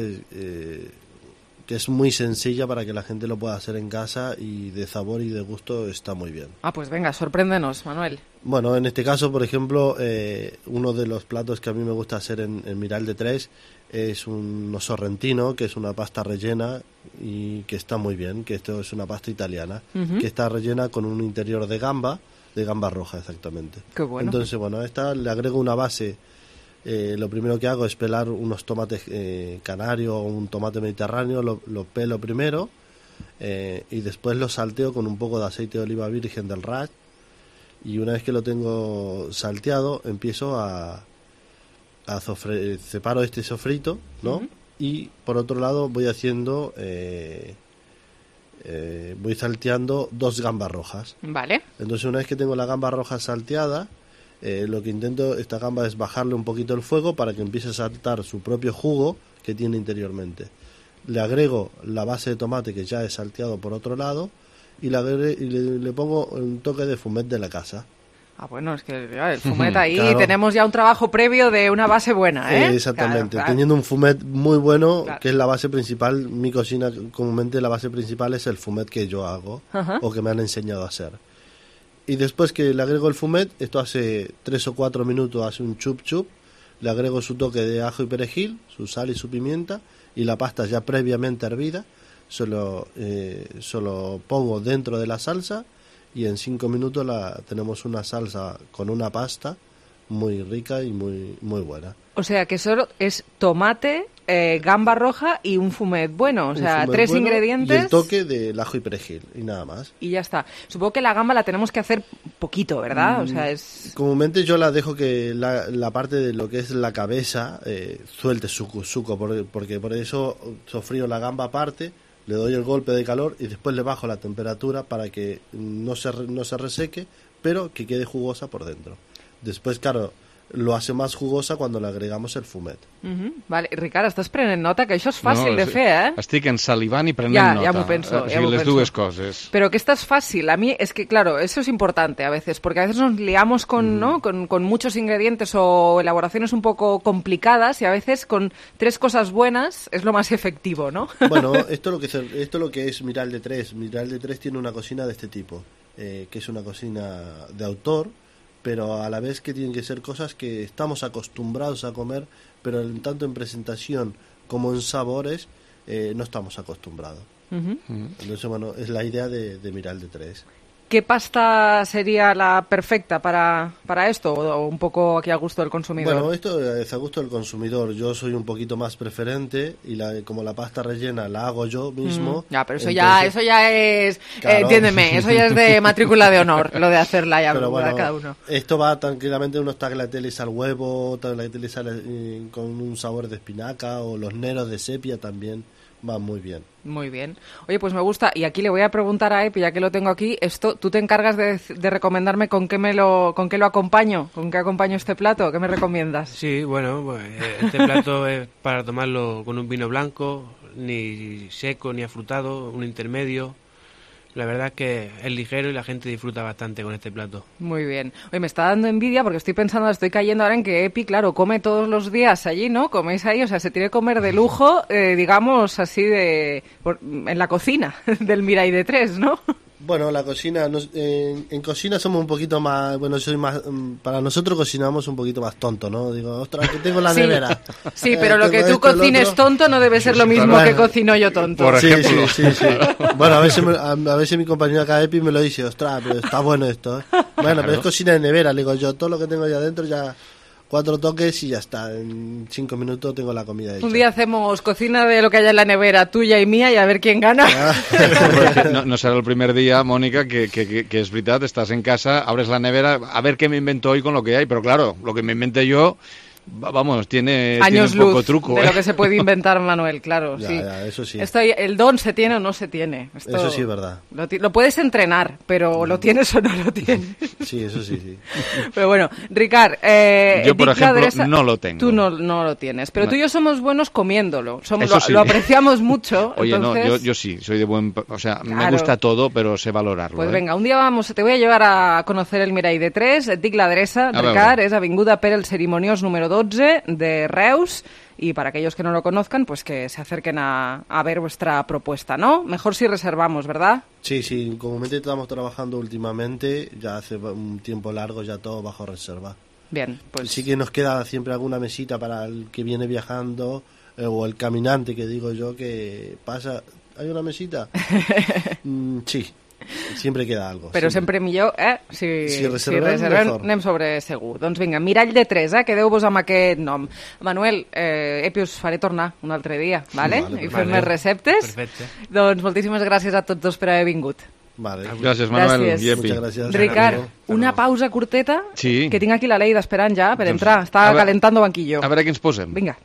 que es muy sencilla para que la gente lo pueda hacer en casa y de sabor y de gusto está muy bien. Ah, pues venga, sorpréndenos, Manuel. Bueno, en este caso, por ejemplo, uno de los platos que a mí me gusta hacer en Mirall de 3 es un sorrentino, que es una pasta rellena y que está muy bien, que esto es una pasta italiana, que está rellena con un interior de gamba roja exactamente. Qué bueno. Entonces, bueno, a esta le agrego una base. Lo primero que hago es pelar unos tomates canarios o un tomate mediterráneo, lo pelo primero y después lo salteo con un poco de aceite de oliva virgen del Ras Y una vez que lo tengo salteado, empiezo separo este sofrito, ¿no? Y por otro lado voy haciendo... voy salteando 2 gambas rojas. Vale. Entonces una vez que tengo la gamba roja salteada, lo que intento esta gamba es bajarle un poquito el fuego para que empiece a saltar su propio jugo que tiene interiormente. Le agrego la base de tomate que ya he salteado por otro lado y le pongo un toque de fumet de la casa. Ah, bueno, es que el fumet ahí claro. Tenemos ya un trabajo previo de una base buena, ¿eh? Exactamente, claro. Teniendo un fumet muy bueno, claro. Que es la base principal, mi cocina comúnmente la base principal es el fumet que yo hago o que me han enseñado a hacer. Y después que le agrego el fumet, esto hace 3 o 4 minutos, hace un chup chup, le agrego su toque de ajo y perejil, su sal y su pimienta y la pasta ya previamente hervida, solo pongo dentro de la salsa. Y en 5 minutos tenemos una salsa con una pasta muy rica y muy buena. O sea, que solo es tomate, gamba roja y un fumet bueno. O sea, 3 bueno, ingredientes. Y el toque del ajo y perejil y nada más. Y ya está. Supongo que la gamba la tenemos que hacer poquito, ¿verdad? O sea, es... Comúnmente yo la dejo que la parte de lo que es la cabeza suelte suco, porque por eso sofrío la gamba aparte. Le doy el golpe de calor y después le bajo la temperatura para que no se reseque, pero que quede jugosa por dentro. Después, claro, lo hace más jugosa cuando le agregamos el fumet. Vale, Ricard, estàs prenent nota, que això és fàcil de fer, eh? Estic ensalivant i prenent nota. Ja m'ho penso. Les dues coses. Pero que esta es fácil. A mí es que, claro, eso es importante a veces, porque a veces nos liamos con muchos ingredientes o elaboraciones un poco complicadas y a veces con 3 cosas buenas es lo más efectivo, ¿no? Bueno, esto lo que es Miral de 3. Miral de 3 tiene una cocina de este tipo, que es una cocina de autor, pero a la vez que tienen que ser cosas que estamos acostumbrados a comer, pero tanto en presentación como en sabores no estamos acostumbrados. Entonces, bueno, es la idea de Miral de 3. ¿Qué pasta sería la perfecta para esto o un poco aquí a gusto del consumidor? Bueno, esto es a gusto del consumidor. Yo soy un poquito más preferente y como la pasta rellena la hago yo mismo. Ya, pero eso ya es, claro. Entiéndeme, eso ya es de matrícula de honor, lo de hacerla ya para cada uno. Esto va tranquilamente unos tagliatelles al huevo, tagliatelles con un sabor de espinaca o los neros de sepia también. Va muy bien. Muy bien. Oye, pues me gusta. Y aquí le voy a preguntar a Epi, ya que lo tengo aquí, esto, ¿tú te encargas de recomendarme con qué lo acompaño? ¿Con qué acompaño este plato? ¿Qué me recomiendas? Sí, bueno, pues este plato es para tomarlo con un vino blanco, ni seco ni afrutado, un intermedio. La verdad es que es ligero y la gente disfruta bastante con este plato. Muy bien. Oye, me está dando envidia porque estoy cayendo ahora en que Epi, claro, come todos los días allí, ¿no? Coméis ahí, o sea, se tiene que comer de lujo, digamos, así en la cocina del Mirai de 3, ¿no? Bueno, la cocina, en cocina somos un poquito más, bueno, soy más, para nosotros cocinamos un poquito más tonto, ¿no? Digo, ostras, que tengo la nevera. Sí, pero lo que tú cocines tonto no debe ser lo mismo que cocino yo tonto. Por ejemplo. Sí. Bueno, a veces mi compañero acá Epi me lo dice, ostras, pero está bueno esto, ¿eh? Bueno, pero es cocina de nevera, le digo yo, todo lo que tengo allá adentro ya... 4 toques y ya está. En 5 minutos tengo la comida hecha. Un día hacemos cocina de lo que haya en la nevera, tuya y mía, y a ver quién gana. No será el primer día, Mónica, que es verdad, estás en casa, abres la nevera, a ver qué me invento hoy con lo que hay. Pero claro, lo que me inventé yo... Vamos, tiene años un poco luz truco. De lo que se puede inventar Manuel, claro. Ya, eso sí. El don se tiene o no se tiene. Eso sí es verdad. Lo puedes entrenar, pero lo tienes o no lo tienes. Sí, eso sí. Pero bueno, Ricard, yo por ejemplo no lo tengo. Tú no lo tienes, pero tú y yo somos buenos comiéndolo. Sí. Lo apreciamos mucho. Oye, entonces... no, yo sí, soy de buen... O sea, claro. Me gusta todo, pero sé valorarlo. Pues venga, un día te voy a llevar a conocer el Mirai de 3. Et dic l'adreça, Ricard, és Avinguda Pere el Cerimoniós número 12 de Reus, y para aquellos que no lo conozcan, pues que se acerquen a ver vuestra propuesta, ¿no? Mejor si reservamos, ¿verdad? Sí, comúnmente estamos trabajando últimamente, ya hace un tiempo largo, ya todo bajo reserva. Bien, pues... Sí que nos queda siempre alguna mesita para el que viene viajando, o el caminante, que digo yo, que pasa... ¿Hay una mesita? Sí. Sempre queda algo. Però sempre millor, si reservem, anem sobre segur. Doncs vinga, Mirall de 3, quedeu-vos amb aquest nom. Manuel, Epi, us faré tornar un altre dia, vale? I fer més receptes. Perfecte. Doncs moltíssimes gràcies a tots dos per haver vingut. Vale. Gràcies, Manuel. Gràcies. Muchas gracias. Ricard, una pausa curteta, sí. Que tinc aquí la Leida esperant ja per entrar. Està calentando banquillo. A veure què ens posem. Vinga.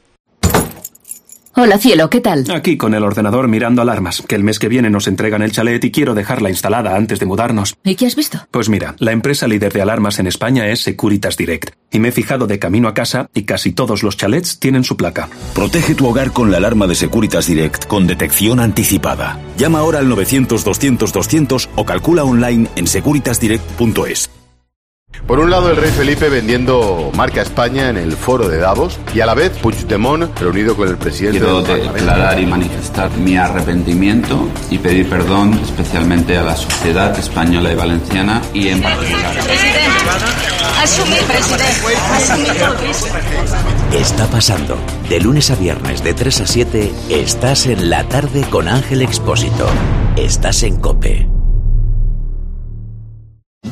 Hola, cielo, ¿qué tal? Aquí con el ordenador mirando alarmas, que el mes que viene nos entregan el chalet y quiero dejarla instalada antes de mudarnos. ¿Y qué has visto? Pues mira, la empresa líder de alarmas en España es Securitas Direct. Y me he fijado de camino a casa y casi todos los chalets tienen su placa. Protege tu hogar con la alarma de Securitas Direct con detección anticipada. Llama ahora al 900-200-200 o calcula online en securitasdirect.es. Por un lado, el rey Felipe vendiendo marca España en el foro de Davos y a la vez Puigdemont reunido con el presidente. Quiero declarar y manifestar mi arrepentimiento y pedir perdón especialmente a la sociedad española y valenciana y en particular. Está pasando. De lunes a viernes de 3 a 7 estás en La Tarde con Ángel Expósito. Estás en COPE.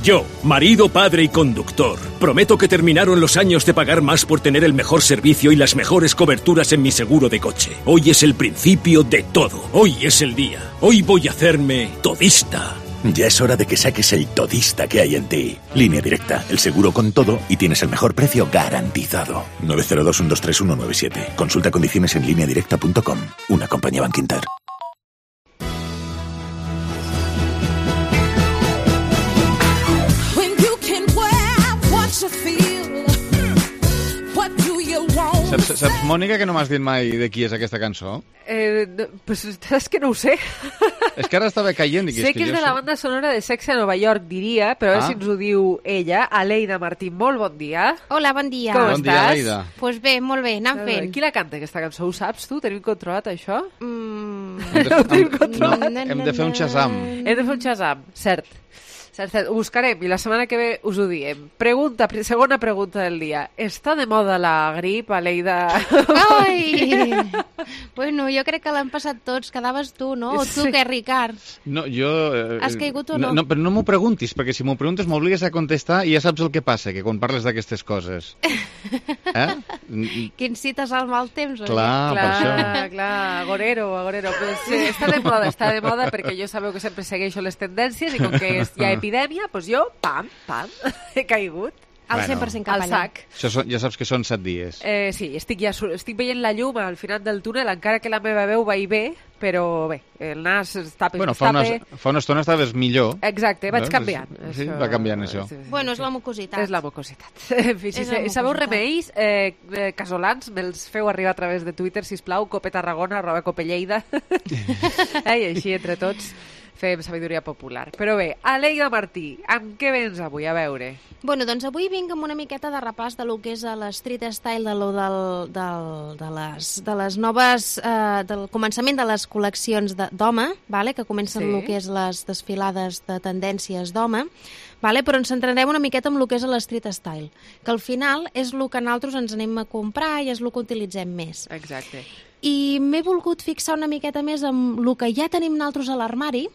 Yo, marido, padre y conductor, prometo que terminaron los años de pagar más por tener el mejor servicio y las mejores coberturas en mi seguro de coche. Hoy es el principio de todo. Hoy es el día. Hoy voy a hacerme todista. Ya es hora de que saques el todista que hay en ti. Línea Directa, el seguro con todo y tienes el mejor precio garantizado. 902-123-197. Consulta condiciones en lineadirecta.com. Una compañía Bankinter. Saps, Mònica, que no m'has dit mai de qui és aquesta cançó? Pues és que no ho sé. És que ara estava caient. Sé que és de la banda sonora de Sex a Nova York, diria, però a veure si ens ho diu ella, Aleida Martín. Molt bon dia. Hola, bon dia. Com bon estàs? Dia, Aleida. Pues bé, molt bé, anant fent. Qui la canta, aquesta cançó? Ho saps tu? Tenim controlat, això? Hem de fer un Shazam. Hem de fer un Shazam, cert. Ho buscarem i la setmana que ve us ho diem. Segona pregunta del dia. Està de moda la grip, Aleida? Ai! Bueno, jo crec que l'han passat tots. Quedaves tu, no? O tu, què, Ricard? No, jo... Has caigut o no? No, però no m'ho preguntis, perquè si m'ho preguntes m'obligues a contestar i ja saps el que passa, que quan parles d'aquestes coses. Que incites al mal temps, oi? Clar, per això. Clar, agorero. Pues, està de moda perquè jo sabeu que sempre segueixo les tendències i com que hi ha epidèmia, doncs jo, pam, he caigut. Al 100% cap allà. Això ja saps que són 7 dies. Sí, estic veient la llum al final del túnel, encara que la meva veu va i ve, però bé, el nas està bé. Bueno, fa una estona estaves millor. Exacte, vaig canviant. Sí, va canviant això. Bueno, és la mucositat. És la mucositat. En fi, si sabeu remeis casolans, me'ls feu arribar a través de Twitter, sisplau, copetarragona@copelleida. I així, entre tots, fem sabidoria popular. Però bé, Aleida Martí, amb què vens avui? A veure. Bueno, doncs avui vinc amb una miqueta de repàs de lo que és l'street style, de les noves... del començament de les col·leccions d'home, vale? Que comencen el que és les desfilades de tendències d'home, vale? Però ens centrarem una miqueta en el que és l'street style, que al final és el que nosaltres ens anem a comprar i és el que utilitzem més. Exacte. I m'he volgut fixar una miqueta més en el que ja tenim nosaltres a l'armari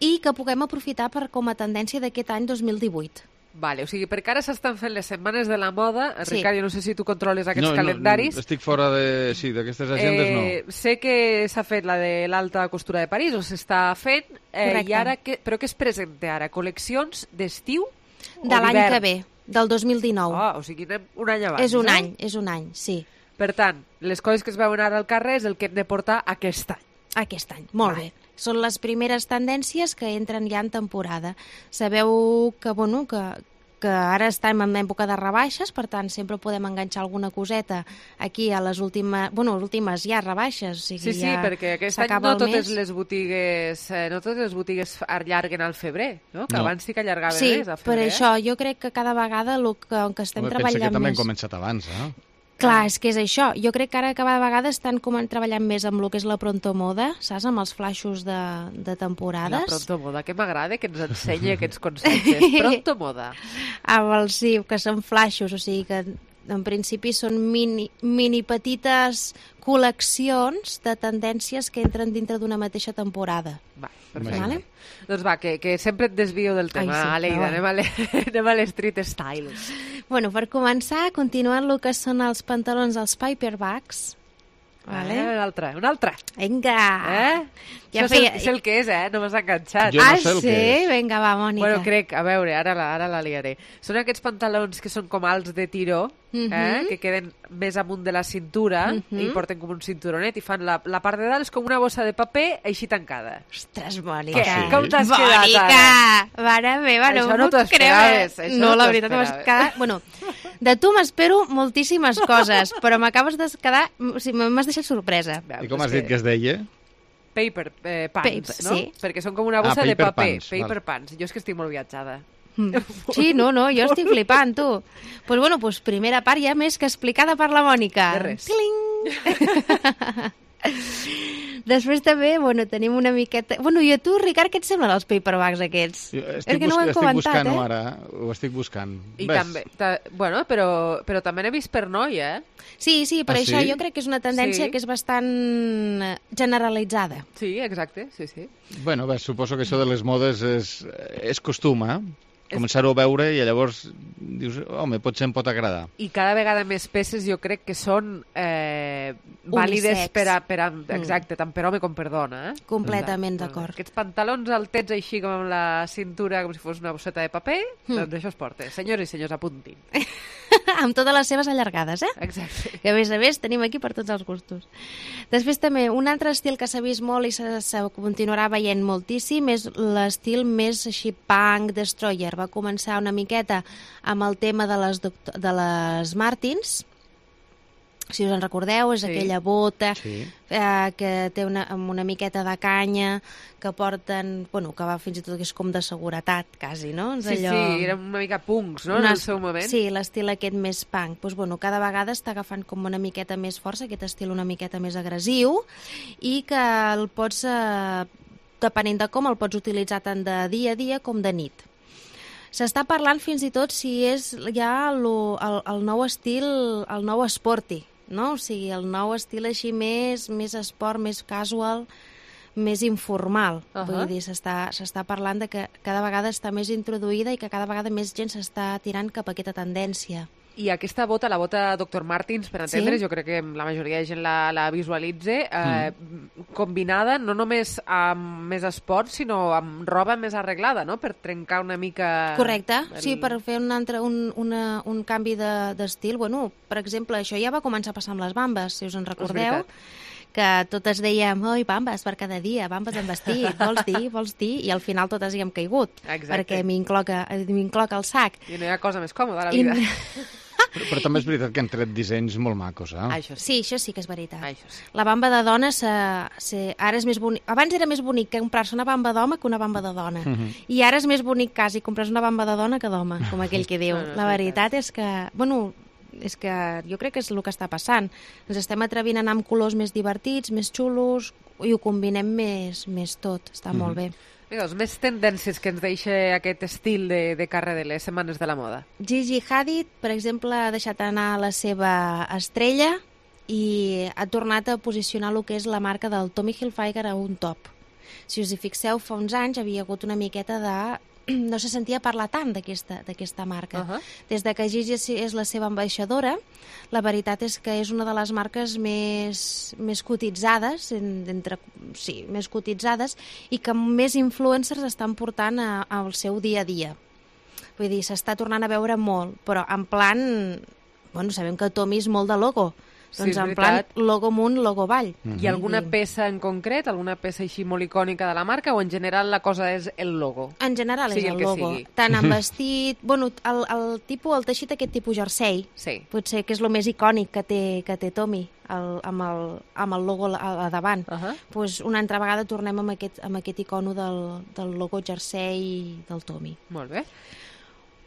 i que puguem aprofitar com a tendència d'aquest any 2018. Vale, o sigui, perquè ara s'estan fent les setmanes de la moda. Ricard, jo no sé si tu controles aquests calendaris. No, estic fora d'aquestes agendes, no. Sé que s'ha fet la de l'alta costura de París, o s'està fent, i ara però què es presenta ara? Col·leccions d'estiu o d'hivern? De l'any que ve, del 2019. O sigui, anem un any abans. És un any, sí. Per tant, les coses que es veuen ara al carrer és el que hem de portar aquest any. Aquest any, molt bé. Són les primeres tendències que entren ja en temporada. Sabeu que, bueno, que ara estem en època de rebaixes, per tant, sempre podem enganxar alguna coseta aquí a les últimes ja rebaixes. O sigui, sí, perquè aquest any no totes les botigues allarguen al febrer, no? Que abans sí que allargaven més al febrer. Sí, per això jo crec que cada vegada el que estem treballant més... Pensa que també hem començat abans, eh? Clar, és que és això. Jo crec que ara cada vegada estan treballant més amb el que és la pronto moda, saps? Amb els flaixos de temporades. La pronto moda, que m'agrada que ens ensenyi aquests conceptes. Pronto moda. Sí, que són flaixos, o sigui que en principi són mini petites col·leccions de tendències que entren dintre d'una mateixa temporada. Va, perfecte. Vale? Doncs va, que sempre et desvio del tema, Aleida. Anem a l'street style. Bueno, per començar, continuant el que són els pantalons, els paperbacks. Vale. Un altre. Vinga! Ja feia... és el que és, no m'has enganxat. Jo no sé el que és. Vinga, va, Mònica. Bueno, crec, a veure, ara la liaré. Són aquests pantalons que són com alts de tiró, que queden més amunt de la cintura i porten com un cinturonet i fan la part de dalt és com una bossa de paper així tancada. Ostres, Mònica. Com t'has quedat ara? Mare meva, no m'ho puc creure. No, la veritat, m'has quedat... Bueno, de tu m'espero moltíssimes coses, però m'acabes de quedar... O sigui, m'has deixat sorpresa. I com has dit que es deia? Paper pants, no? Sí. Perquè són com una bossa de paper. Paper pants. Jo és que estic molt viatjada. Sí, no, jo estic flipant, tu. Pues bueno, primera part ja més que explicada per la Mònica. De res. Després també, tenim una miqueta... I a tu, Ricard, què et semblen els paperbacks aquests? Estic buscant-ho ara, ho estic buscant. I també, però també n'he vist per noi, Sí, per això jo crec que és una tendència que és bastant generalitzada. Sí, exacte, sí. Bueno, suposo que això de les modes és costum, començar-ho a veure i llavors dius, home, potser em pot agradar. I cada vegada més peces jo crec que són vàlides per a exacte, tant per home com per dona. Completament d'acord. Aquests pantalons altets així com amb la cintura, com si fos una bosseta de paper, doncs això es porta. Senyors i senyors, apuntin. Amb totes les seves allargades, Exacte. Que a més tenim aquí per tots els gustos. Després també, un altre estil que s'ha vist molt i se continuarà veient moltíssim és l'estil més així punk, destroyer. Va començar una miqueta amb el tema de les Martins, si us en recordeu, és aquella bota que té una miqueta de canya, que porten, que va fins i tot que és com de seguretat, quasi, no? Sí, eren una mica punks, no?, en el seu moment. Sí, l'estil aquest més punk. Cada vegada està agafant com una miqueta més força, aquest estil una miqueta més agressiu, i que el pots, depenent de com, el pots utilitzar tant de dia a dia com de nit. S'està parlant fins i tot si és ja el nou estil, el nou sporty, no? O sigui, el nou estil així més esport, més casual, més informal. Vull dir, s'està parlant de que cada vegada està més introduïda i que cada vegada més gent s'està tirant cap a aquesta tendència. I aquesta bota, la bota Dr. Martens, per entendre, jo crec que la majoria de gent la visualitza, combinada no només amb més esport, sinó amb roba més arreglada, no?, per trencar una mica... Correcte, sí, per fer un canvi d'estil. Per exemple, això ja va començar a passar amb les bambes, si us en recordeu, que totes dèiem, oi, bambes per cada dia, bambes en vestit, vols dir, i al final totes hi hem caigut, perquè m'incloca el sac. I no hi ha cosa més còmoda a la vida. Però també és veritat que han tret dissenys molt macos, Sí, això sí que és veritat. La bamba de dona ara és més bonic. Abans era més bonic que comprar-se una bamba d'home que una bamba de dona. I ara és més bonic quasi comprar-se una bamba de dona que d'home, com aquell que diu. La veritat és que, és que jo crec que és el que està passant. Ens estem atrevint a anar amb colors més divertits, més xulos, i ho combinem més tot. Està molt bé. Doncs més tendències que ens deixa aquest estil de carrer de les setmanes de la moda. Gigi Hadid, per exemple, ha deixat anar la seva estrella i ha tornat a posicionar el que és la marca del Tommy Hilfiger a un top. Si us hi fixeu, fa uns anys havia hagut una miqueta de... no se sentia parlar tant d'aquesta marca. Des de que Gigi és la seva ambaixadora, la veritat és que és una de les marques més cotitzades, més cotitzades, i que més influencers estan portant al seu dia a dia. Vull dir, s'està tornant a veure molt, però en plan... sabem que Tommy és molt de logo, doncs en plan logo amunt, logo avall. Hi ha alguna peça en concret, alguna peça així molt icònica de la marca, o en general la cosa és el logo? En general és el logo. Tant en vestit... el teixit aquest tipus jersei, potser que és el més icònic que té Tommy, amb el logo a davant. Una altra vegada tornem amb aquest icono del logo jersei del Tommy. Molt bé.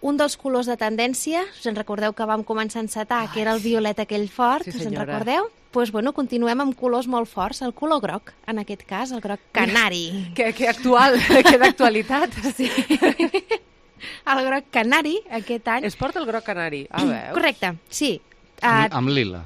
Un dels colors de tendència, us en recordeu que vam començar a encetar, que era el violet aquell fort, us en recordeu? Doncs continuem amb colors molt forts, el color groc, en aquest cas, el groc canari. Que actual, que d'actualitat. Sí. El groc canari, aquest any... Es porta el groc canari, veus? Correcte, sí. Amb lila.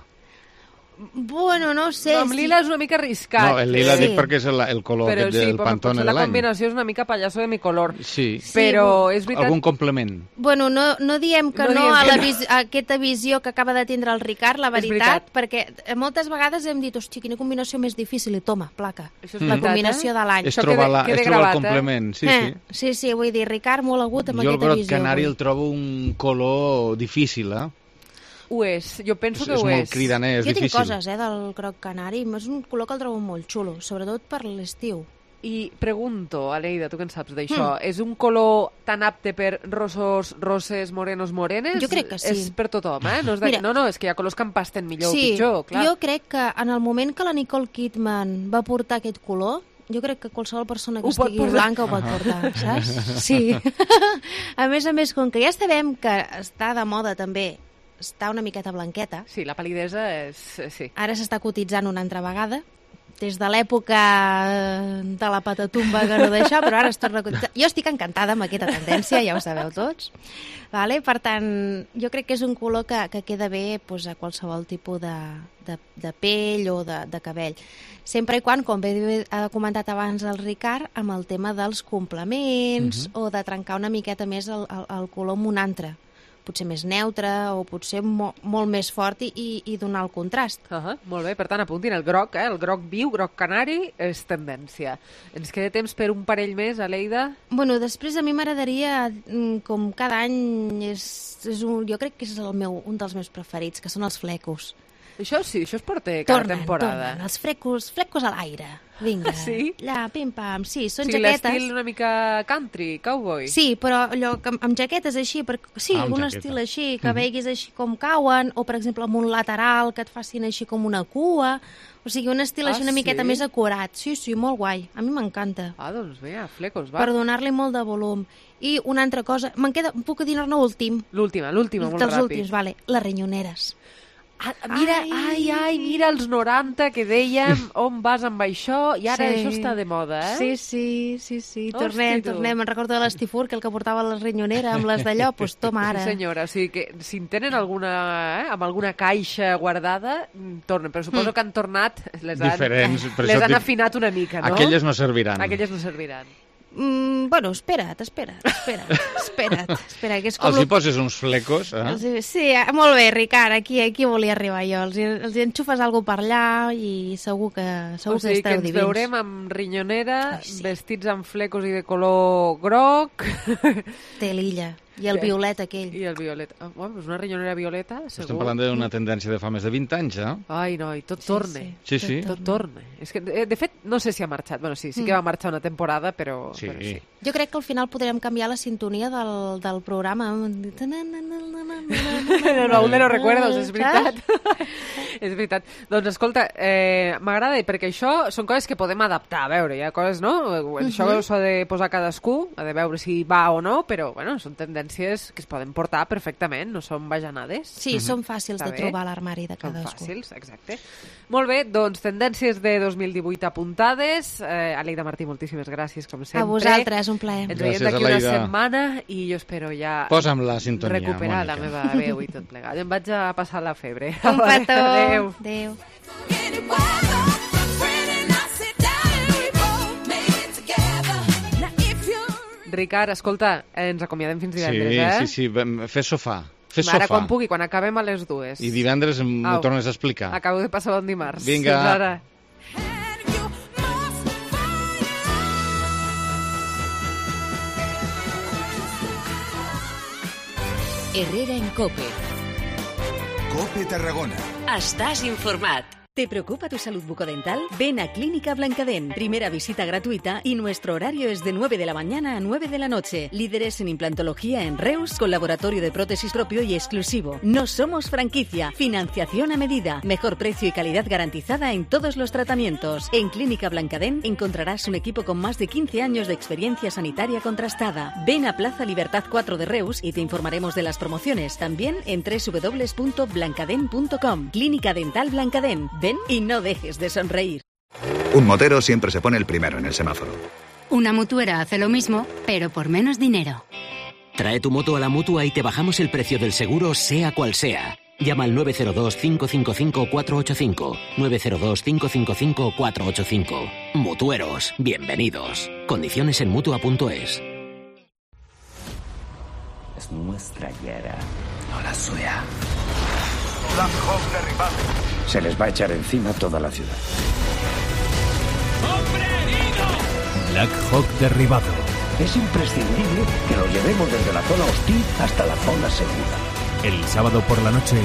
Bueno, no sé. No, amb lila és una mica arriscat. No, el lila dic perquè és el color del Pantone de l'any. La combinació és una mica pallasso de mi color. Sí. Però és veritat... Algun complement? Bueno, no diem que no a aquesta visió que acaba de tindre el Ricard, la veritat, perquè moltes vegades hem dit, hòstia, quina combinació més difícil, i toma, placa. La combinació de l'any. És trobar el complement, sí. Sí, vull dir, Ricard, molt agut amb aquesta visió. Jo el groc canari el trobo un color difícil, Ho és, jo penso que ho és. És molt cridaner, és difícil. Jo tinc coses, del groc canari, és un color que el trobo molt xulo, sobretot per l'estiu. I pregunto, Aleida, tu què en saps d'això? És un color tan apte per rossos, roses, morenos, morenes? Jo crec que sí. És per tothom, No, és que hi ha colors que empasten millor o pitjor, clar. Jo crec que en el moment que la Nicole Kidman va portar aquest color, jo crec que qualsevol persona que estigui blanca ho pot portar, saps? Sí. A més, com que ja sabem que està de moda també està una miqueta blanqueta. Sí, la pal·lidesa és... Sí. Ara s'està cotitzant una altra vegada, des de l'època de la patatumba que no d'això, però ara es torna a cotitzar. Jo estic encantada amb aquesta tendència, ja ho sabeu tots. Vale? Per tant, jo crec que és un color que queda bé a qualsevol tipus de pell o de cabell. Sempre i quan, com bé ha comentat abans el Ricard, amb el tema dels complements o de trencar una miqueta més el color amb un altre. Potser més neutre o potser molt més fort i donar el contrast. Molt bé, per tant, apuntin el groc, el groc viu, groc canari, és tendència. Ens queda temps per un parell més, Aleida? Bueno, després a mi m'agradaria, com cada any, jo crec que és un dels meus preferits, que són els flecos. Això sí, això es porta cada temporada. Tornen, els flecos a l'aire. Vinga, sí? Allà, pim-pam, sí, són jaquetes. L'estil una mica country, cowboy. Sí, però allò amb jaquetes així, un estil així, que veguis així com cauen, o per exemple amb un lateral que et facin així com una cua, o sigui, un estil així una miqueta més acurat. Sí, molt guai, a mi m'encanta. Doncs bé, flecos, va. Per donar-li molt de volum. I una altra cosa, puc dir-ne últim. L'última, molt ràpid. Dels últims, vale, les rinyoneres. Mira els 90 que dèiem, on vas amb això, i ara això està de moda, Sí. Tornem. Me'n recordo de l'Estifur, que el que portava la rinyonera amb les d'allò, doncs toma ara. Sí, senyora, o sigui que si en tenen amb alguna caixa guardada, tornen, però suposo que han tornat, les han afinat una mica, no? Aquelles no serviran. Bueno, espera't. Que és com els hi poses uns flecos, Sí, molt bé, Ricard, aquí volia arribar jo. Els hi enxufes alguna cosa per allà i segur que estareu divins. O sigui que ens veurem amb rinyonera, vestits amb flecos i de color groc. Té l'illa. I el violet aquell. I el violet. És una rinyonera violeta, segur. Estem parlant d'una tendència de fa més de 20 anys, Ai, noi, tot torna. Sí. Tot torna. És que, de fet, no sé si ha marxat. Bueno, sí que va marxar una temporada, però sí. Jo crec que al final podrem canviar la sintonia del programa. No lo recuerdo, és veritat. És veritat. Doncs, escolta, m'agrada perquè això són coses que podem adaptar. A veure, hi ha coses, no? Això s'ha de posar cadascú, ha de veure si va o no, però, bueno, són tendències que es poden portar perfectament, no són bajanades. Sí, són fàcils de trobar a l'armari de cadascú. Són fàcils, exacte. Molt bé, doncs tendències de 2018 apuntades. Aleida Martí, moltíssimes gràcies, com sempre. A vosaltres, un plaer. Ens veiem d'aquí una setmana i jo espero ja posa'm la sintonia, recuperar la meva veu i tot plegat. Em vaig a passar la febre. Un petó. Adéu. Ricard, escolta, ens acomiadem fins divendres, Sí, fes sofà. Ara quan pugui, quan acabem a les 2. I divendres m'ho tornes a explicar. Acabo de passar bon dimarts. Vinga. Fins ara. Herrera en COPE. COPE Tarragona. Estàs informat. ¿Te preocupa tu salud bucodental? Ven a Clínica Blancadén. Primera visita gratuita y nuestro horario es de 9 de la mañana a 9 de la noche. Líderes en implantología en Reus, con laboratorio de prótesis propio y exclusivo. No somos franquicia. Financiación a medida. Mejor precio y calidad garantizada en todos los tratamientos. En Clínica Blancadén encontrarás un equipo con más de 15 años de experiencia sanitaria contrastada. Ven a Plaza Libertad 4 de Reus y te informaremos de las promociones. También en www.blancadén.com. Clínica Dental Blancadén. Ven y no dejes de sonreír. Un motero siempre se pone el primero en el semáforo. Una mutuera hace lo mismo, pero por menos dinero. Trae tu moto a la Mutua y te bajamos el precio del seguro, sea cual sea. Llama al 902-555-485. 902-555-485. Mutueros, bienvenidos. Condiciones en Mutua.es. Es nuestra guerra, no la suya. Black Hawk derribado. Se les va a echar encima toda la ciudad. ¡Hombre herido! Black Hawk derribado. Es imprescindible que lo llevemos desde la zona hostil hasta la zona segura. El sábado por la noche,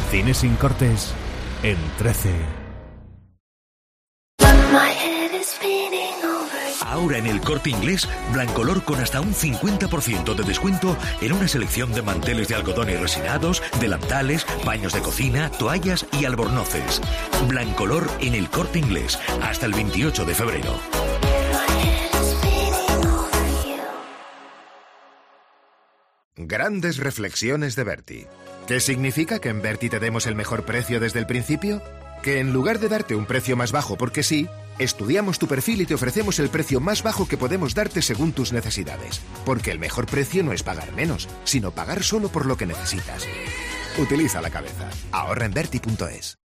Cine sin cortes, en 13. Ahora en El Corte Inglés, Blancolor con hasta un 50% de descuento en una selección de manteles de algodón y resinados, delantales, paños de cocina, toallas y albornoces. Blancolor en El Corte Inglés, hasta el 28 de febrero. Grandes reflexiones de Berti. ¿Qué significa que en Berti te demos el mejor precio desde el principio? Que en lugar de darte un precio más bajo porque sí, estudiamos tu perfil y te ofrecemos el precio más bajo que podemos darte según tus necesidades. Porque el mejor precio no es pagar menos, sino pagar solo por lo que necesitas. Utiliza la cabeza. Ahorra en Berti.es.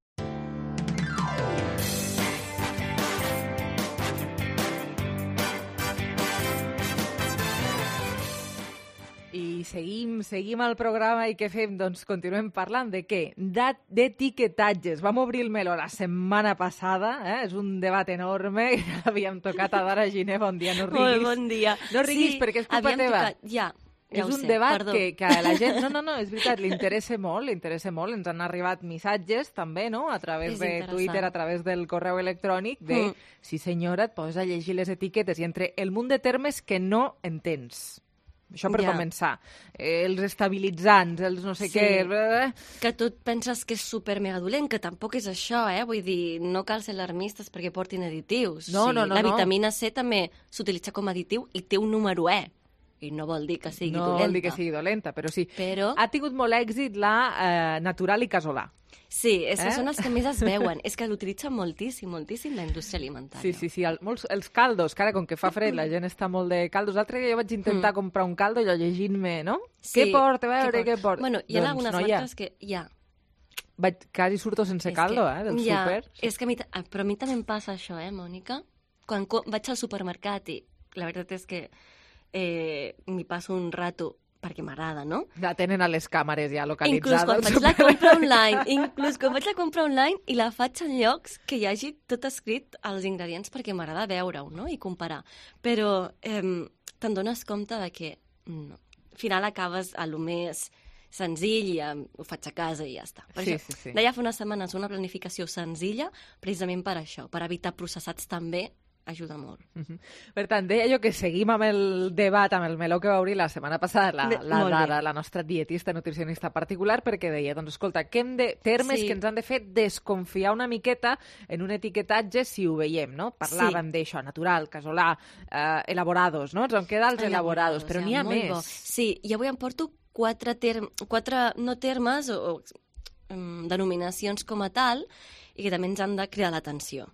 I seguim el programa i què fem? Doncs continuem parlant de què? D'etiquetatges. Vam obrir el meló la setmana passada, és un debat enorme, que ja l'havíem tocat a Dara Giner, bon dia, no riguis. Bon dia. No riguis perquè és culpa teva. Ja és un debat que a la gent, no, és veritat, li interessa molt, ens han arribat missatges també, no?, a través de Twitter, a través del correu electrònic, de, sí senyora, et poses a llegir les etiquetes i entre el munt de termes que no entens. Això per començar. Els estabilitzants, els no sé què... Que tu et penses que és super mega dolent, que tampoc és això, Vull dir, no cal ser alarmistes perquè portin additius. No. La vitamina C també s'utilitza com a additiu i té un número E. I no vol dir que sigui dolenta. No vol dir que sigui dolenta, però sí. Ha tingut molt èxit la Natural i Casolà. Sí, que són els que més es veuen. És que l'utilitzen moltíssim la indústria alimentària. Sí. Els caldos, que ara, com que fa fred, la gent està molt de caldos. L'altre dia jo vaig intentar comprar un caldo i allò llegint-me, no? Sí, què porta? A veure, què porta? Bueno, hi ha algunes marques que ja... Quasi surto sense caldo, del súper. Però a mi també em passa això, Mònica? Quan vaig al supermercat i la veritat és que m'hi passo un rato perquè m'agrada, no? La tenen a les càmeres ja localitzades. Inclús quan vaig a comprar online i la faig en llocs que hi hagi tot escrit als ingredients perquè m'agrada veure-ho, no?, i comparar. Però te'n dones compte de que al final acabes a lo més senzill i ho faig a casa i ja està. Sí. Deia fa unes setmanes una planificació senzilla precisament per això, per evitar processats també, ajuda molt. Per tant, deia jo que seguim amb el debat, amb el meló que va obrir la setmana passada la Dara, la nostra dietista, nutricionista particular, perquè deia, doncs escolta, que hem de termes que ens han de fer desconfiar una miqueta en un etiquetatge si ho veiem, no? Parlàvem d'això, natural, casolà, elaborados, no? Ens en queda els elaborados, però n'hi ha més. Sí, i avui em porto quatre no termes o denominacions com a tal i que també ens han de cridar l'atenció.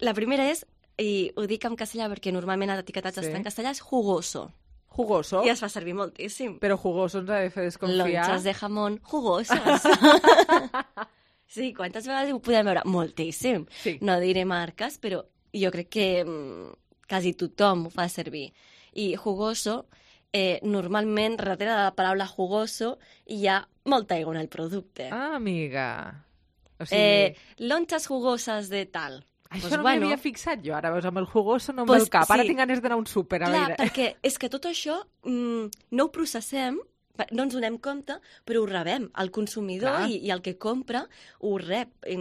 La primera és, i ho dic en castellà perquè normalment a l'etiquetatge està en castellà, és jugoso. Jugoso? I es fa servir moltíssim. Però jugoso ens ha de fer desconfiar. Lonchas de jamón jugoses. Sí, quantes vegades ho podem veure? Moltíssim. Sí. No diré marques, però jo crec que quasi tothom ho fa servir. I jugoso, normalment, darrere de la paraula jugoso, hi ha molta aigua en el producte. Ah, amiga. O sigui... lonchas jugoses de tal. Això no m'hi havia fixat jo, ara veus, amb el jugoso no em ve el cap. Ara tinc ganes d'anar a un súper, a veure. Clar, perquè és que tot això no ho processem, no ens donem compte, però ho rebem. El consumidor i el que compra ho rep i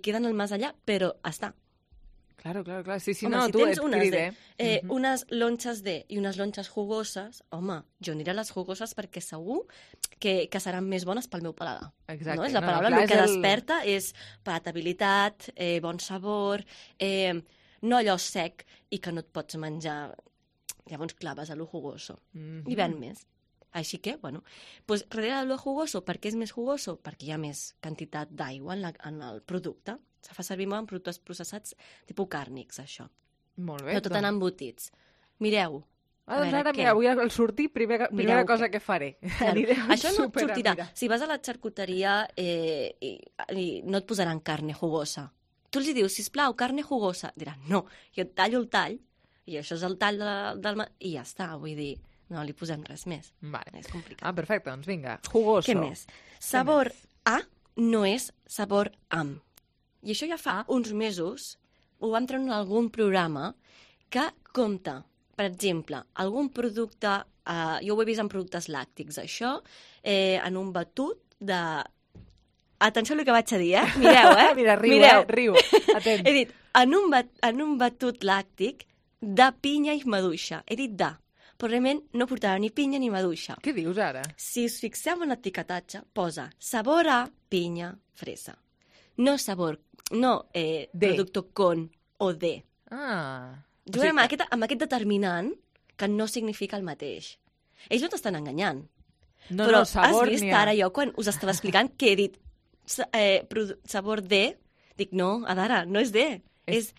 queda en el més allà, però està. Claro. Sí, home, no, si tu tens et cride. Unes lonxes de i unes lonxes jugoses, home, jo aniré a les jugoses perquè segur que seran més bones pel meu paladar. Exacte. No? És la paraula, el que desperta és palatabilitat, bon sabor, no allò sec i que no et pots menjar. Llavors claves a lo jugoso. I ven més. Així que, bueno, pues, darrere de lo jugoso, per què és més jugoso? Perquè hi ha més quantitat d'aigua en el producte. Se fa servir molt en productes processats tipus càrnics, això. Molt bé. Però tot en embotits. Mireu, Doncs ara, mira, avui al sortir, primera cosa que faré. Això no et sortirà. Si vas a la xarcuteria i no et posaran carne jugosa. Tu els dius, sisplau, carne jugosa. Diran, no, jo et tallo el tall, i això és el tall i ja està, vull dir, no li posem res més. Vale. És complicat. Perfecte, doncs vinga, jugoso. Què més? Sabor A no és sabor am. I això ja fa uns mesos ho vam treure en algun programa que compta, per exemple, algun producte, jo ho he vist en productes làctics, això, en un batut de... Atenció al que vaig a dir, Mireu, Mira, riu, atent. He dit, en un batut làctic de pinya i maduixa. He dit de, però realment no portava ni pinya ni maduixa. Què dius ara? Si us fixeu en l'etiquetatge, posa sabor a pinya, fresa. No sabor, producto con o de. Juguem amb aquest determinant que no significa el mateix. Ells no t'estan enganyant. Però has vist ara jo, quan us estava explicant, que he dit sabor de, dic no, Adara, no és de, és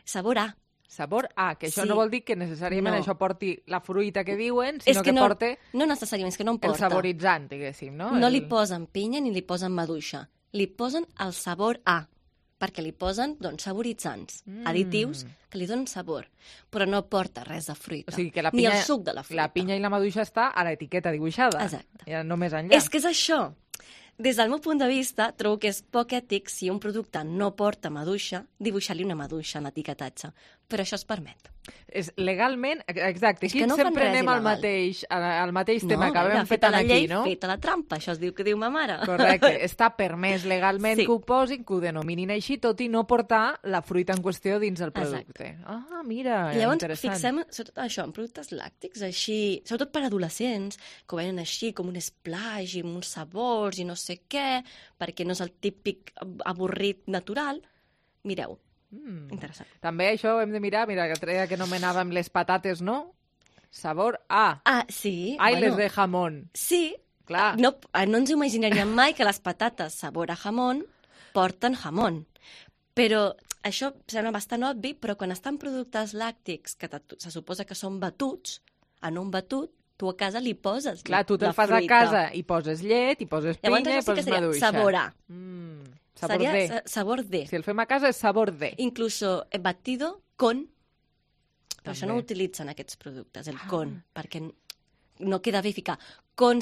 sabor a. Sabor A, que això no vol dir que necessàriament això porti la fruita que diuen, sinó que porti... No necessàriament, és que no en porta. El saboritzant, diguéssim, no? No li posen pinya ni li posen maduixa. Li posen el sabor A, perquè li posen, saboritzants, additius que li donen sabor, però no porta res de fruita, ni el suc de la fruita. La pinya i la maduixa està a l'etiqueta dibuixada. Exacte. Ja no més enllà. És que és això. Des del meu punt de vista, trobo que és poc ètic si un producte no porta maduixa, dibuixar-li una maduixa en l'etiquetatge. Però això es permet. És legalment, exacte, aquí sempre anem al mateix tema que vam fet aquí, no? Feta la trampa, això es diu que diu ma mare. Correcte, està permès legalment que ho posin, que ho denominin així, tot i no portar la fruita en qüestió dins el producte. Mira, llavors, interessant. fixem sobretot això, en productes làctics, així, sobretot per adolescents, que ho venen així com un splash i uns sabors i no sé què, perquè no és el típic avorrit natural. Mireu, interessant. També això ho hem de mirar, mira, que treia que anomenàvem les patates, no? Sabor A. Sí. Les de jamón. Sí. Clar. No ens imaginaríem mai que les patates sabor a jamón porten jamón. Però això sembla bastant obvi, però quan estan productes làctics, que se suposa que són batuts, en un batut, tu a casa li poses la fruita. Clar, tu te'l fas a casa i poses llet, i poses pinya, i poses maduixa. Sabor A. Seria sabor de. Si el fem a casa és sabor de. Incluso batido con. Però això no ho utilitzen aquests productes, el con, perquè no queda bé ficar con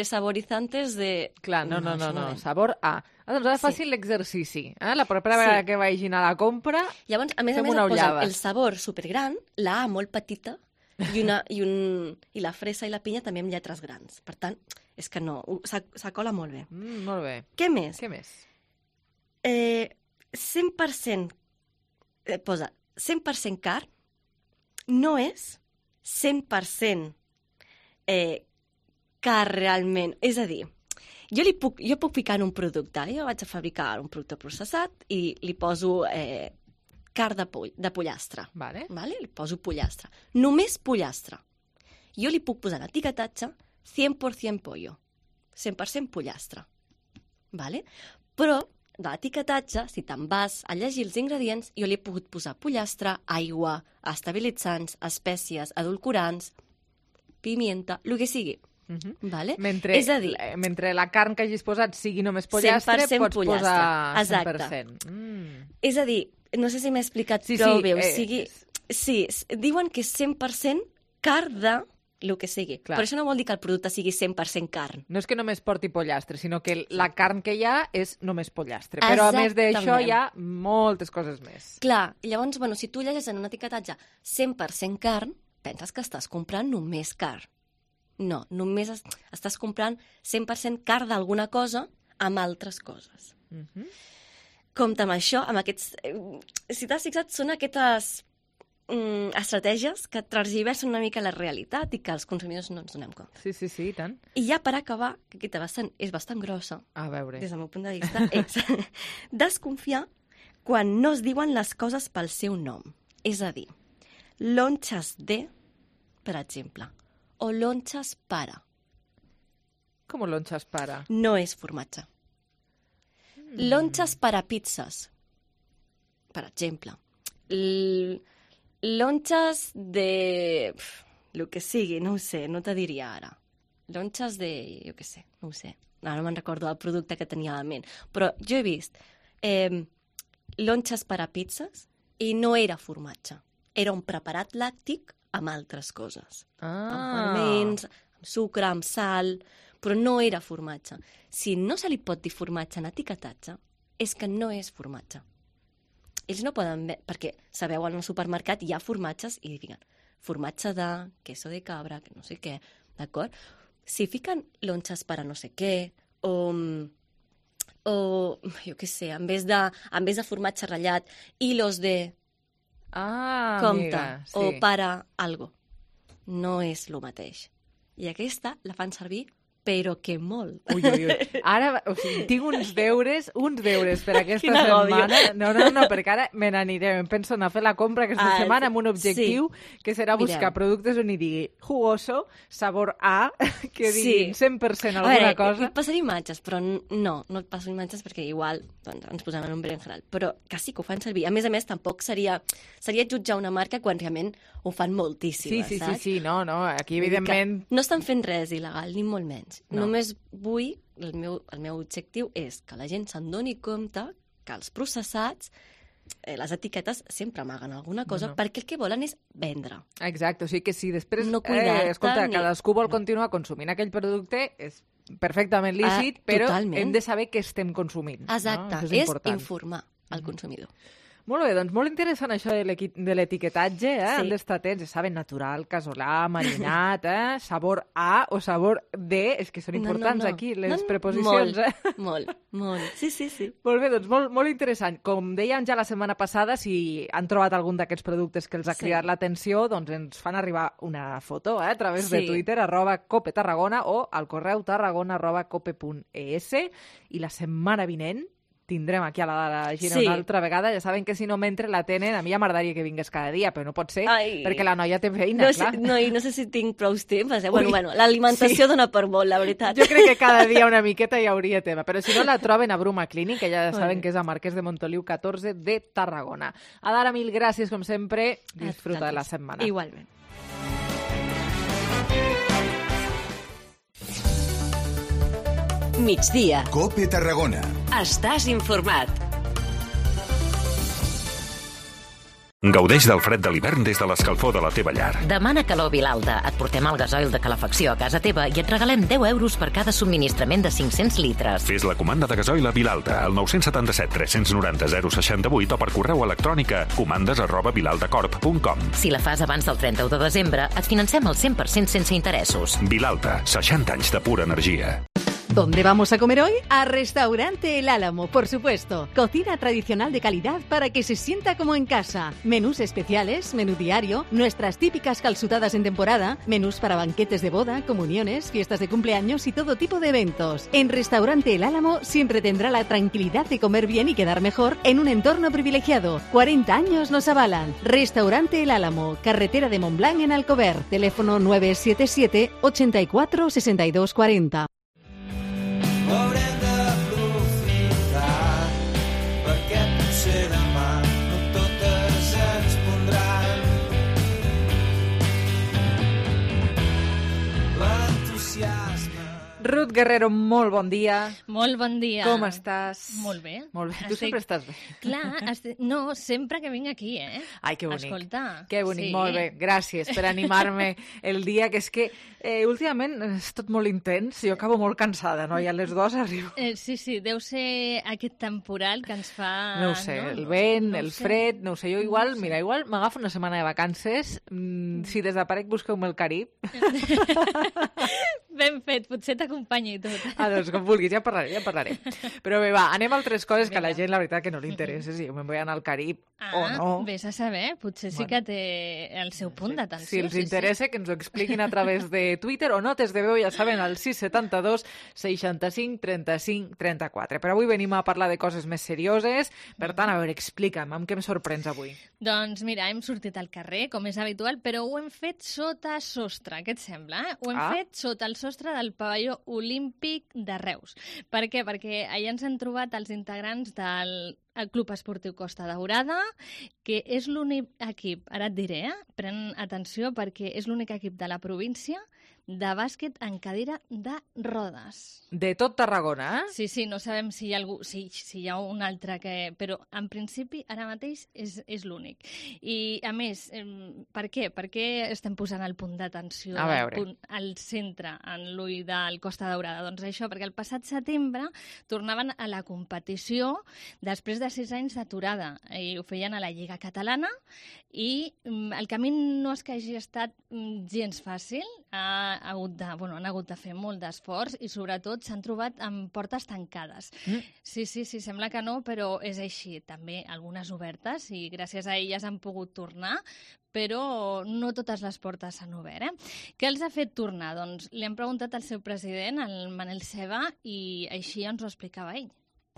saborizantes de... Clar, no, sabor A. Doncs ara facin l'exercici. La propera vegada que vagin a la compra, llavors, a més et posen el sabor supergran, la A molt petita, i la fresa i la pinya també amb lletres grans. Per tant, és que no, s'acola molt bé. Molt bé. Què més? 100%, posa 100% carn, no és 100% carn realment. És a dir, jo puc ficar en un producte, jo vaig a fabricar un producte processat i li poso carn de pollastre. Vale. Li poso pollastre. Només pollastre. Jo li puc posar l'etiquetatge 100% pollo. 100% pollastre. Vale? Però de l'etiquetatge, si te'n vas a llegir els ingredients, jo li he pogut posar pollastre, aigua, estabilitzants, espècies, edulcorants, pimienta, el que sigui. Vale? És a dir, mentre la carn que hagis posat sigui només pollastre, pots posar 100%. Exacte. És a dir, no sé si m'he explicat prou bé. Sí, diuen que és 100% carn de el que sigui. Clar. Però això no vol dir que el producte sigui 100% carn. No és que només porti pollastre, sinó que la carn que hi ha és només pollastre. Però a més d'això hi ha moltes coses més. Clar, llavors, si tu llegeixes en un etiquetatge 100% carn, penses que estàs comprant només carn. No, només estàs comprant 100% carn d'alguna cosa amb altres coses. Compte amb això, amb aquests... Si t'has fixat, són aquestes estratègies que transversen una mica la realitat i que els consumidors no ens donem compte. Sí, i tant. I ja per acabar, que aquesta és bastant grossa, a veure, des del meu punt de vista, és desconfiar quan no es diuen les coses pel seu nom. És a dir, lonxes de, per exemple, o lonxes para. Com lonxes para? No és formatge. Lonxes para pizzas, per exemple. Lonxes de... el que sigui, no ho sé, no te diria ara. Lonxes de... jo què sé, no ho sé. Ara no me'n recordo el producte que tenia a la ment. Però jo he vist lonxes per a pizzas i no era formatge. Era un preparat làctic amb altres coses. Amb ferments, amb sucre, amb sal, però no era formatge. Si no se li pot dir formatge en etiquetatge, és que no és formatge. Ells no poden... perquè sabeu, al supermercat hi ha formatges i fiquen formatge de queso de cabra, que no sé què, d'acord? Si fiquen lonxes per a no sé què, o jo què sé, en vez de formatge ratllat, hilos de... compte, amiga, sí. o para algo. No és el mateix. I aquesta la fan servir, però que molt. Ui. Ara, o sigui, tinc uns deures per aquesta setmana. No, perquè ara me n'aniré. Em penso anar a fer la compra aquesta setmana amb un objectiu que serà buscar productes on hi digui jugoso, sabor A, que diguin 100% alguna cosa. Et passaré imatges, però no et passo imatges perquè igual ens posem en un berenjenal. Però que sí que ho fan servir. A més, tampoc seria jutjar una marca quan realment ho fan moltíssimes, saps? Sí, no, aquí evidentment... No estan fent res il·legal, ni molt menys. No. Només vull, el meu objectiu és que la gent se'n doni compte que els processats, les etiquetes sempre amaguen alguna cosa, perquè el que volen és vendre. Exacte, o sigui que si després escolta, cadascú vol continuar consumint aquell producte, és perfectament lícit, però hem de saber què estem consumint. Exacte, és informar al consumidor. Molt bé, doncs molt interessant això de l'etiquetatge, han d'estar atents, ja saben, natural, casolà, marinat, sabor A o sabor D, és que són importants aquí les preposicions. Molt. Sí. Molt bé, doncs molt interessant. Com dèiem ja la setmana passada, si han trobat algun d'aquests productes que els ha cridat l'atenció, doncs ens fan arribar una foto a través de Twitter, @copetarragona o al correu tarragona@cope.es, i la setmana vinent tindrem aquí a la Gina una altra vegada. Ja saben que si no mentre la tenen, a mi ja m'agradaria que vingués cada dia, però no pot ser, perquè la noia té feina, clar. No sé si tinc prou temps. Bueno, l'alimentació dona per molt, la veritat. Jo crec que cada dia una miqueta hi hauria tema, però si no la troben a Bruma Clínic, que ja saben que és a Marquès de Montoliu 14 de Tarragona. Adara, mil gràcies, com sempre. Disfruta de la setmana. Igualment. Migdia. Cope Tarragona. Estàs informat. Gaudeix del fred de l'hivern des de l'escalfor de la teva llar. Demana calor Vilalta. Et portem el gasoil de calefacció a casa teva i et regalem 10 euros per cada subministrament de 500 litres. Fes la comanda de gasoil a Vilalta al 977 390 068 o per correu electrònic a comandes@vilaltacorp.com. Si la fas abans del 31 de desembre, et financem el 100% sense interessos. Vilalta, 60 anys de pura energia. ¿Dónde vamos a comer hoy? A Restaurante El Álamo, por supuesto. Cocina tradicional de calidad para que se sienta como en casa. Menús especiales, menú diario, nuestras típicas calzutadas en temporada, menús para banquetes de boda, comuniones, fiestas de cumpleaños y todo tipo de eventos. En Restaurante El Álamo siempre tendrá la tranquilidad de comer bien y quedar mejor en un entorno privilegiado. 40 años nos avalan. Restaurante El Álamo, carretera de Montblanc en Alcover. Teléfono 977 84 62 40. Haurem d'aprofitar perquè potser demà no totes ens pondran l'entusiasme. Ruth Guerrero, molt bon dia. Molt bon dia. Com estàs? Molt bé. Molt bé. Tu sempre estàs bé. Clar, no, sempre que vinc aquí, Ai, que bonic. Escolta. Que bonic, molt bé. Gràcies per animar-me el dia, que és que últimament és tot molt intens, jo acabo molt cansada, no? I a les 2 arribo. Sí, deu ser aquest temporal que ens fa... No ho sé, el vent, el fred, no ho sé. Jo igual m'agafo una setmana de vacances, si desaparec busqueu-me el Carib. Ben fet, potser t'acompanyo i tot. Doncs com vulguis, ja parlaré. Però bé, va, anem a altres coses que a la gent la veritat que no li interessa, si jo me'n vull anar al Carib o no. Vés a saber, potser sí que té el seu punt d'atenció. Si els interessa, que ens ho expliquin a través de Twitter o notes de veu, ja saben, al 672 65 35 34. Però avui venim a parlar de coses més serioses, per tant, a veure, explica'm, amb què em sorprens avui? Doncs mira, hem sortit al carrer, com és habitual, però ho hem fet sota sostre, què et sembla? Ho hem fet sota el sostre del pavelló olímpic de Reus. Per què? Perquè allà ens han trobat els integrants del el Club Esportiu Costa Daurada, que és l'únic equip, ara et diré, pren atenció perquè és l'únic equip de la província de bàsquet en cadira de rodes. De tot Tarragona, eh? Sí, no sabem si hi ha algú, si hi ha un altre que... Però, en principi, ara mateix és l'únic. I, a més, per què? Per què estem posant el punt d'atenció al centre, en l'ull del Costa Daurada? Doncs això, perquè el passat setembre tornaven a la competició després de 6 anys d'aturada. I ho feien a la Lliga Catalana i el camí no és que hagi estat gens fàcil. Han hagut de fer molt d'esforç i sobretot s'han trobat amb portes tancades. Sí, sembla que no, però és així. També algunes obertes i gràcies a elles han pogut tornar, però no totes les portes s'han obert. Què els ha fet tornar? Doncs li han preguntat al seu president, el Manel Ceba, i així ens ho explicava ell.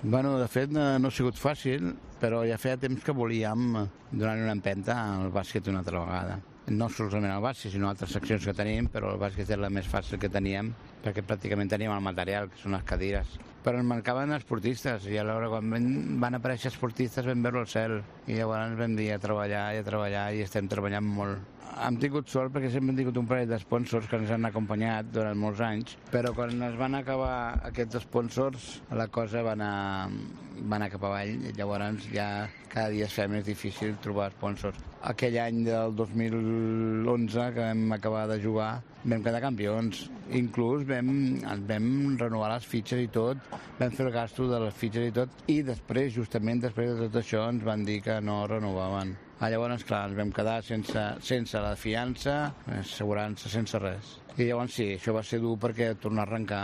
Bueno, de fet, no ha sigut fàcil, però ja feia temps que volíem donar una empenta al bàsquet una altra vegada. No solament al bàsquet, sinó altres seccions que tenim, però el bàsquet és la més fàcil que teníem, perquè pràcticament teníem el material, que són les cadires. Però ens mancaven esportistes, i alhora quan van aparèixer esportistes vam veure el cel, i llavors vam dir a treballar, i estem treballant molt. Hem tingut sort perquè sempre hem tingut un parell d'esponsors que ens han acompanyat durant molts anys, però quan es van acabar aquests sponsors, la cosa va anar cap avall, i llavors ja cada dia es fa més difícil trobar sponsors. Aquell any del 2011 que vam acabar de jugar vam quedar campions, inclús vam renovar les fitxes i tot, vam fer el gasto de les fitxes i tot, i després, justament després de tot això, ens van dir que no renovaven. Llavors, clar, ens vam quedar sense la fiança, assegurança, sense res. I llavors sí, això va ser dur perquè tornar a arrencar...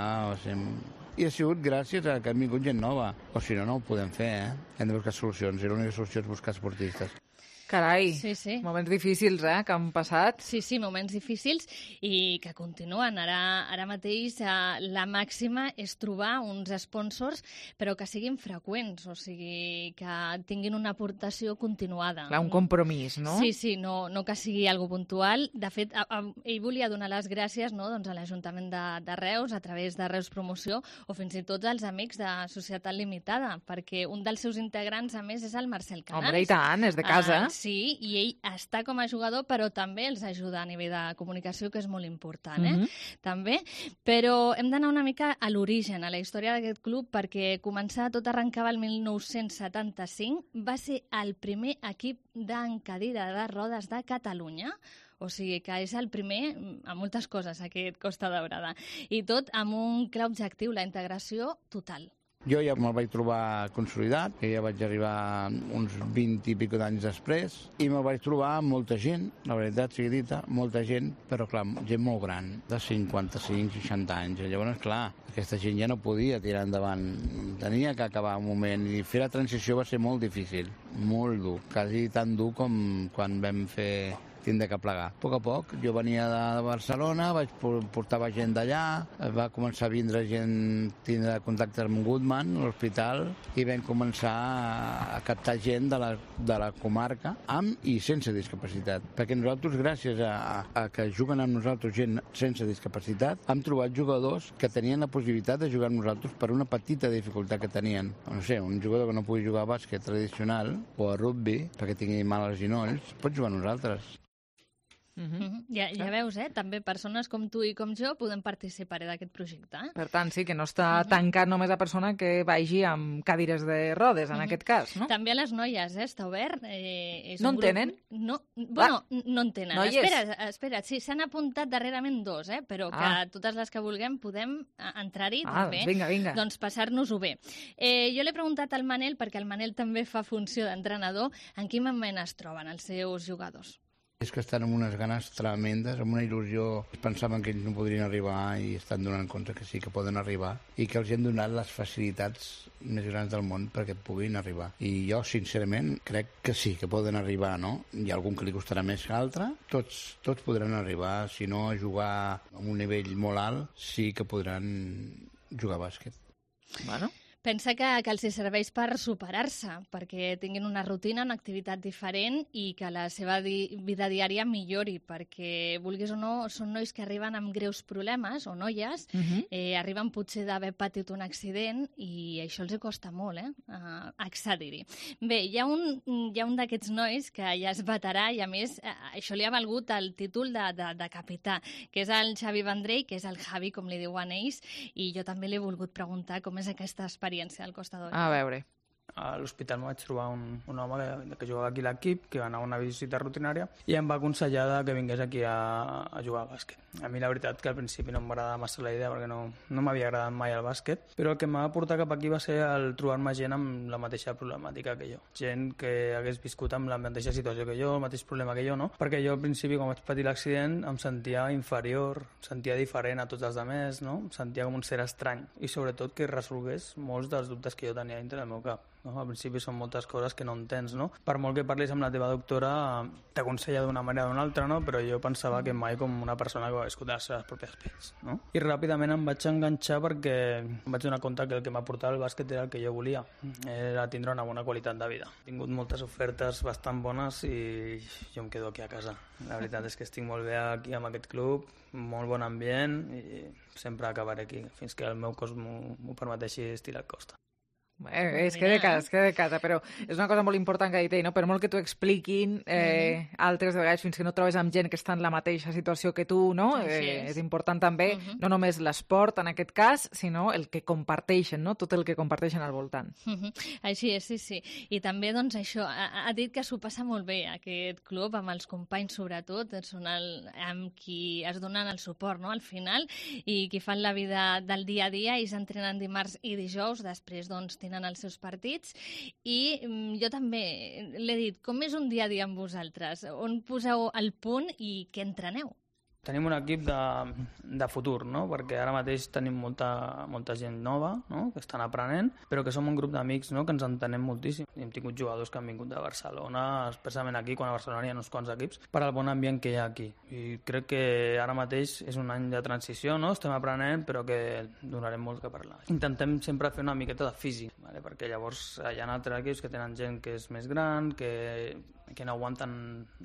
I ha sigut gràcies a que ha vingut gent nova. O si no, no ho podem fer, Hem de buscar solucions, i l'única solució és buscar esportistes. Carai, moments difícils, que han passat. Sí, moments difícils i que continuen. Ara mateix la màxima és trobar uns sponsors, però que siguin freqüents, o sigui, que tinguin una aportació continuada. Clar, un compromís, no? Sí, no que sigui algo puntual. De fet, ell volia donar les gràcies doncs, a l'Ajuntament de Reus, a través de Reus Promoció, o fins i tot als amics de Societat Limitada, perquè un dels seus integrants, a més, és el Marcel Canals. Home, i tant, és de casa. Sí, i ell està com a jugador, però també els ajuda a nivell de comunicació, que és molt important, també. Però hem d'anar una mica a l'origen, a la història d'aquest club, perquè tot arrencava el 1975, va ser el primer equip en cadira de rodes de Catalunya, o sigui que és el primer a moltes coses, aquest Costa Daurada. I tot amb un clar objectiu, la integració total. Jo ja me'l vaig trobar consolidat, que ja vaig arribar uns 20 i pico d'anys després, i me'l vaig trobar amb molta gent, la veritat sigui dita, molta gent, però clar, gent molt gran, de 55-60 anys. Llavors, clar, aquesta gent ja no podia tirar endavant, tenia que acabar un moment, i fer la transició va ser molt difícil, molt dur, quasi tan dur com quan vam fer tindre que plegar. A poc, jo venia de Barcelona, portava gent d'allà, va començar a vindre gent, tindre contacte amb Goodman, l'hospital, i vam començar a captar gent de la comarca, amb i sense discapacitat. Perquè nosaltres, gràcies a que juguen amb nosaltres gent sense discapacitat, hem trobat jugadors que tenien la possibilitat de jugar amb nosaltres per una petita dificultat que tenien. No sé, un jugador que no pugui jugar a bàsquet tradicional o a rugby, perquè tingui mal als ginolls, pot jugar amb nosaltres. Ja veus, també persones com tu i com jo podem participar d'aquest projecte. Per tant, sí, que no està tancat només a persona que vagi amb cadires de rodes, en aquest cas, no? També a les noies, està obert. No en tenen? No en tenen. Espera't, sí, s'han apuntat darrerament 2, però que totes les que vulguem podem entrar-hi també. Vinga. Doncs passar-nos-ho bé. Jo l'he preguntat al Manel, perquè el Manel també fa funció d'entrenador, en quin moment es troben els seus jugadors? És que estan amb unes ganes tremendes, amb una il·lusió. Pensaven que ells no podrien arribar i estan donant compte que sí que poden arribar i que els han donat les facilitats més grans del món perquè puguin arribar. I jo, sincerament, crec que sí, que poden arribar, no? Hi ha algun que li costarà més que l'altre. Tots podran arribar, si no a jugar a un nivell molt alt, sí que podran jugar a bàsquet. Bueno. Pensa que els serveix per superar-se, perquè tinguin una rutina, una activitat diferent i que la seva vida diària millori, perquè, vulguis o no, són nois que arriben amb greus problemes, o noies, arriben potser d'haver patit un accident i això els costa molt, accedir-hi. Bé, hi ha un d'aquests nois que ja és veterà i, a més, això li ha valgut el títol de capità, que és el Xavi Vendrell, que és el Javi, com li diuen ells, i jo també li he volgut preguntar com és aquesta experiència al Costa d'Or. A veure. A l'hospital m'ho vaig trobar un home que jugava aquí a l'equip, que va anar a una visita rutinària i em va aconsellar que vingués aquí a jugar a bàsquet. A mi la veritat que al principi no m'agradava massa la idea perquè no m'havia agradat mai el bàsquet, però el que em va portar cap aquí va ser el trobar-me gent amb la mateixa problemàtica que jo. Gent que hagués viscut amb la mateixa situació que jo, el mateix problema que jo, no? Perquè jo al principi, quan vaig patir l'accident, em sentia inferior, em sentia diferent a tots els altres, no? Em sentia com un ser estrany i sobretot que resolgués molts dels dubtes que jo tenia dintre del meu cap. No? Al principi són moltes coses que no entens, no? Per molt que parlis amb la teva doctora, t'aconsella d'una manera o d'una altra, no? Però jo pensava que mai com una persona que va viscut les seves pròpies pells, no? I ràpidament em vaig enganxar perquè em vaig donar compte que el que m'aportava el bàsquet era el que jo volia, era tindre una bona qualitat de vida. He tingut moltes ofertes bastant bones i jo em quedo aquí a casa. La veritat és que estic molt bé aquí amb aquest club, molt bon ambient i sempre acabaré aquí, fins que el meu cos m'ho permeteixi estirar el costa. És que de casa, però és una cosa molt important que ha dit ell, no? Per molt que t'ho expliquin altres vegades, fins que no trobes amb gent que està en la mateixa situació que tu, no? És important també, no només l'esport en aquest cas, sinó el que comparteixen, no? Tot el que comparteixen al voltant. Així és, sí. I també, doncs, això, ha dit que s'ho passa molt bé, aquest club, amb els companys sobretot, són amb qui es donen el suport, no?, al final, i qui fan la vida del dia a dia, i s'entrenen dimarts i dijous, després, doncs, tenen els seus partits, i jo també l'he dit, com és un dia a dia amb vosaltres? On poseu el punt i què entreneu? Tenim un equip de futur, no? Perquè ara mateix tenim molta gent nova, no?, que estan aprenent, però que som un grup d'amics, no?, que ens entenem moltíssim. Hem tingut jugadors que han vingut de Barcelona, especialment aquí, quan a Barcelona hi ha uns quants equips, per al bon ambient que hi ha aquí. I crec que ara mateix és un any de transició, no?, estem aprenent, però que donarem molt que parlar. Intentem sempre fer una miqueta de físic, ¿vale? Perquè llavors hi ha altres equips que tenen gent que és més gran, que no aguanten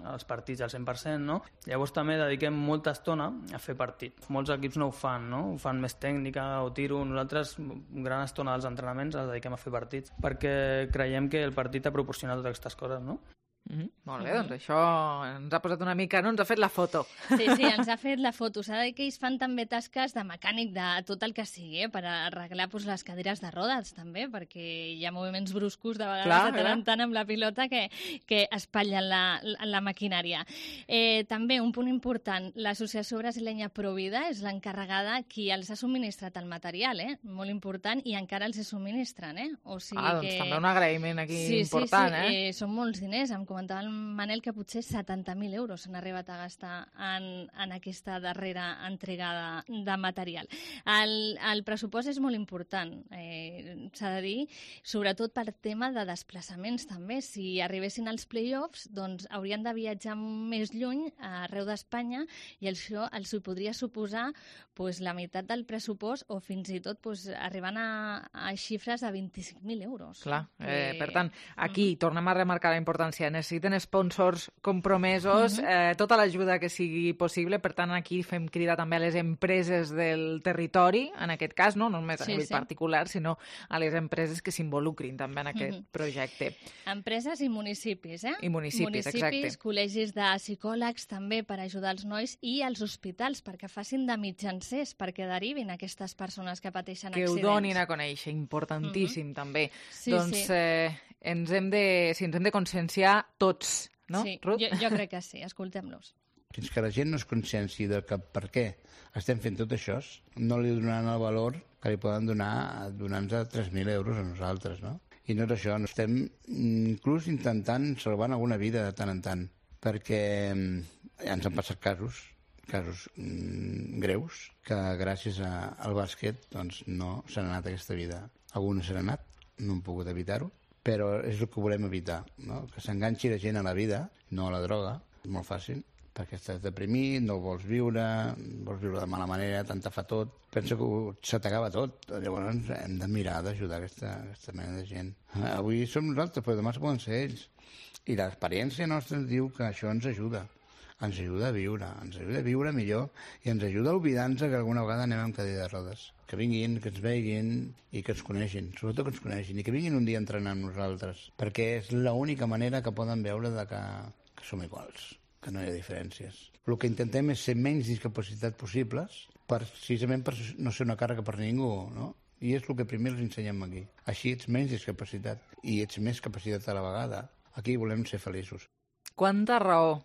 els partits al 100%, no? Llavors també dediquem molta estona a fer partit. Molts equips no ho fan, no? Ho fan més tècnica o tiro. Nosaltres, gran estona dels entrenaments, els dediquem a fer partits, perquè creiem que el partit ha proporcionat totes aquestes coses, no? Molt bé, doncs això ens ha posat una mica, no? Ens ha fet la foto. Sí, ens ha fet la foto. S'ha de dir que ells fan també tasques de mecànic de tot el que sigui, per arreglar les cadires de rodes, també, perquè hi ha moviments bruscos de vegades de tant amb la pilota que espatllen la maquinària. També, un punt important, l'associació brasilenya Provida és l'encarregada qui els ha subministrat el material, molt important, i encara els subministren, O sigui doncs també un agraïment aquí important, són molts diners, comentava el Manel que potser 70.000 euros s'han arribat a gastar en aquesta darrera entregada de material. El pressupost és molt important, s'ha de dir, sobretot per tema de desplaçaments també. Si arribessin als play-offs, doncs haurien de viatjar més lluny, arreu d'Espanya, i això els podria suposar la meitat del pressupost o fins i tot arribant a xifres de 25.000 euros. Clar, per tant, aquí tornem a remarcar la importància. Necessiten sponsors compromesos, tota l'ajuda que sigui possible. Per tant, aquí fem crida també a les empreses del territori, en aquest cas, no només a nivell particular, sinó a les empreses que s'involucrin també en aquest projecte. Empreses i municipis, I municipis, exacte. Col·legis de psicòlegs també per ajudar els nois, i els hospitals perquè facin de mitjancers, perquè derivin aquestes persones que pateixen accidents. Que ho donin a conèixer, importantíssim també. Doncs ens hem de conscienciar tots, no, Ruth? Jo crec que sí, escoltem-los. Fins que la gent no es conscienci de que per què estem fent tot això, no li donaran el valor que li poden donar donant-nos 3.000 euros a nosaltres, no? I no és això, estem inclús intentant salvar alguna vida de tant en tant, perquè ja ens han passat casos greus que gràcies al bàsquet doncs, no s'ha anat aquesta vida. Algunes s'han anat, no hem pogut evitar-ho, però és el que volem evitar, no? Que s'enganxi la gent a la vida, no a la droga, és molt fàcil, perquè estàs deprimit, no vols viure de mala manera, tant te fa tot. Penso que se t'acaba tot. Llavors hem de mirar d'ajudar aquesta mena de gent. Avui som nosaltres, però demà poden ser ells. I l'experiència nostra ens diu que això ens ajuda. Ens ajuda a viure millor i ens ajuda a oblidar-nos que alguna vegada anem amb cadira de rodes. Que vinguin, que ens veguin i que ens coneixin, sobretot que ens coneixin, i que vinguin un dia a entrenar amb nosaltres, perquè és l'única manera que poden veure que som iguals, que no hi ha diferències. El que intentem és ser menys discapacitat possibles, precisament per no ser una càrrega per ningú, no? I és el que primer els ensenyem aquí. Així ets menys discapacitat i ets més capacitat a la vegada. Aquí volem ser feliços. Quanta raó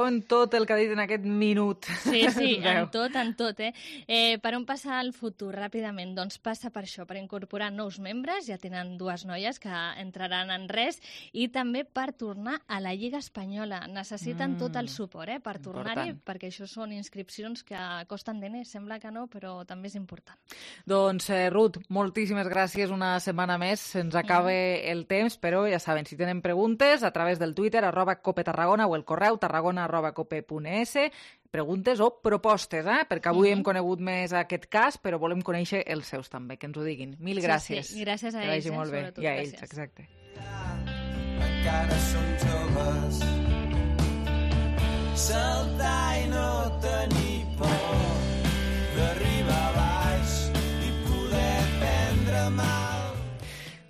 en tot el que ha dit en aquest minut. Sí, en tot. Per on passa el futur, ràpidament? Doncs passa per això, per incorporar nous membres, ja tenen 2 noies que entraran en res, i també per tornar a la Lliga Espanyola. Necessiten tot el suport per tornar-hi, perquè això són inscripcions que costen diners, sembla que no, però també és important. Doncs, Ruth, moltíssimes gràcies una setmana més. Se'ns acaba el temps, però ja saben, si tenen preguntes, a través del Twitter, @copetarragona, o el correu tarragona@cope.es, preguntes o propostes, perquè avui hem conegut més aquest cas, però volem conèixer els seus també, que ens ho diguin. Mil gràcies. Sí, gràcies a ells, sobretot. I a ells, exacte. Encara som joves, saltar i no tenir por d'arribar a baix i poder prendre mal.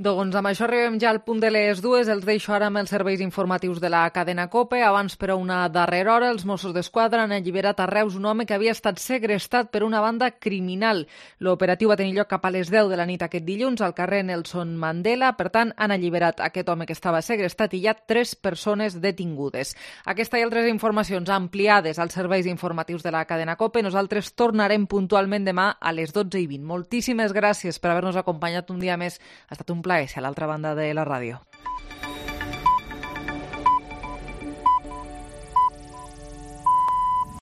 Doncs amb això arribem ja al punt de les 2. Els deixo ara amb els serveis informatius de la cadena COPE. Abans, però, una darrera hora, els Mossos d'Esquadra han alliberat a Reus un home que havia estat segrestat per una banda criminal. L'operatiu va tenir lloc cap a les 10 de la nit aquest dilluns al carrer Nelson Mandela. Per tant, han alliberat aquest home que estava segrestat i hi ha 3 persones detingudes. Aquesta i altres informacions ampliades als serveis informatius de la cadena COPE. Nosaltres tornarem puntualment demà a les 12:20. Moltíssimes gràcies per haver-nos acompanyat un dia més. Ha estat un plaer ser a l'altra banda de la ràdio.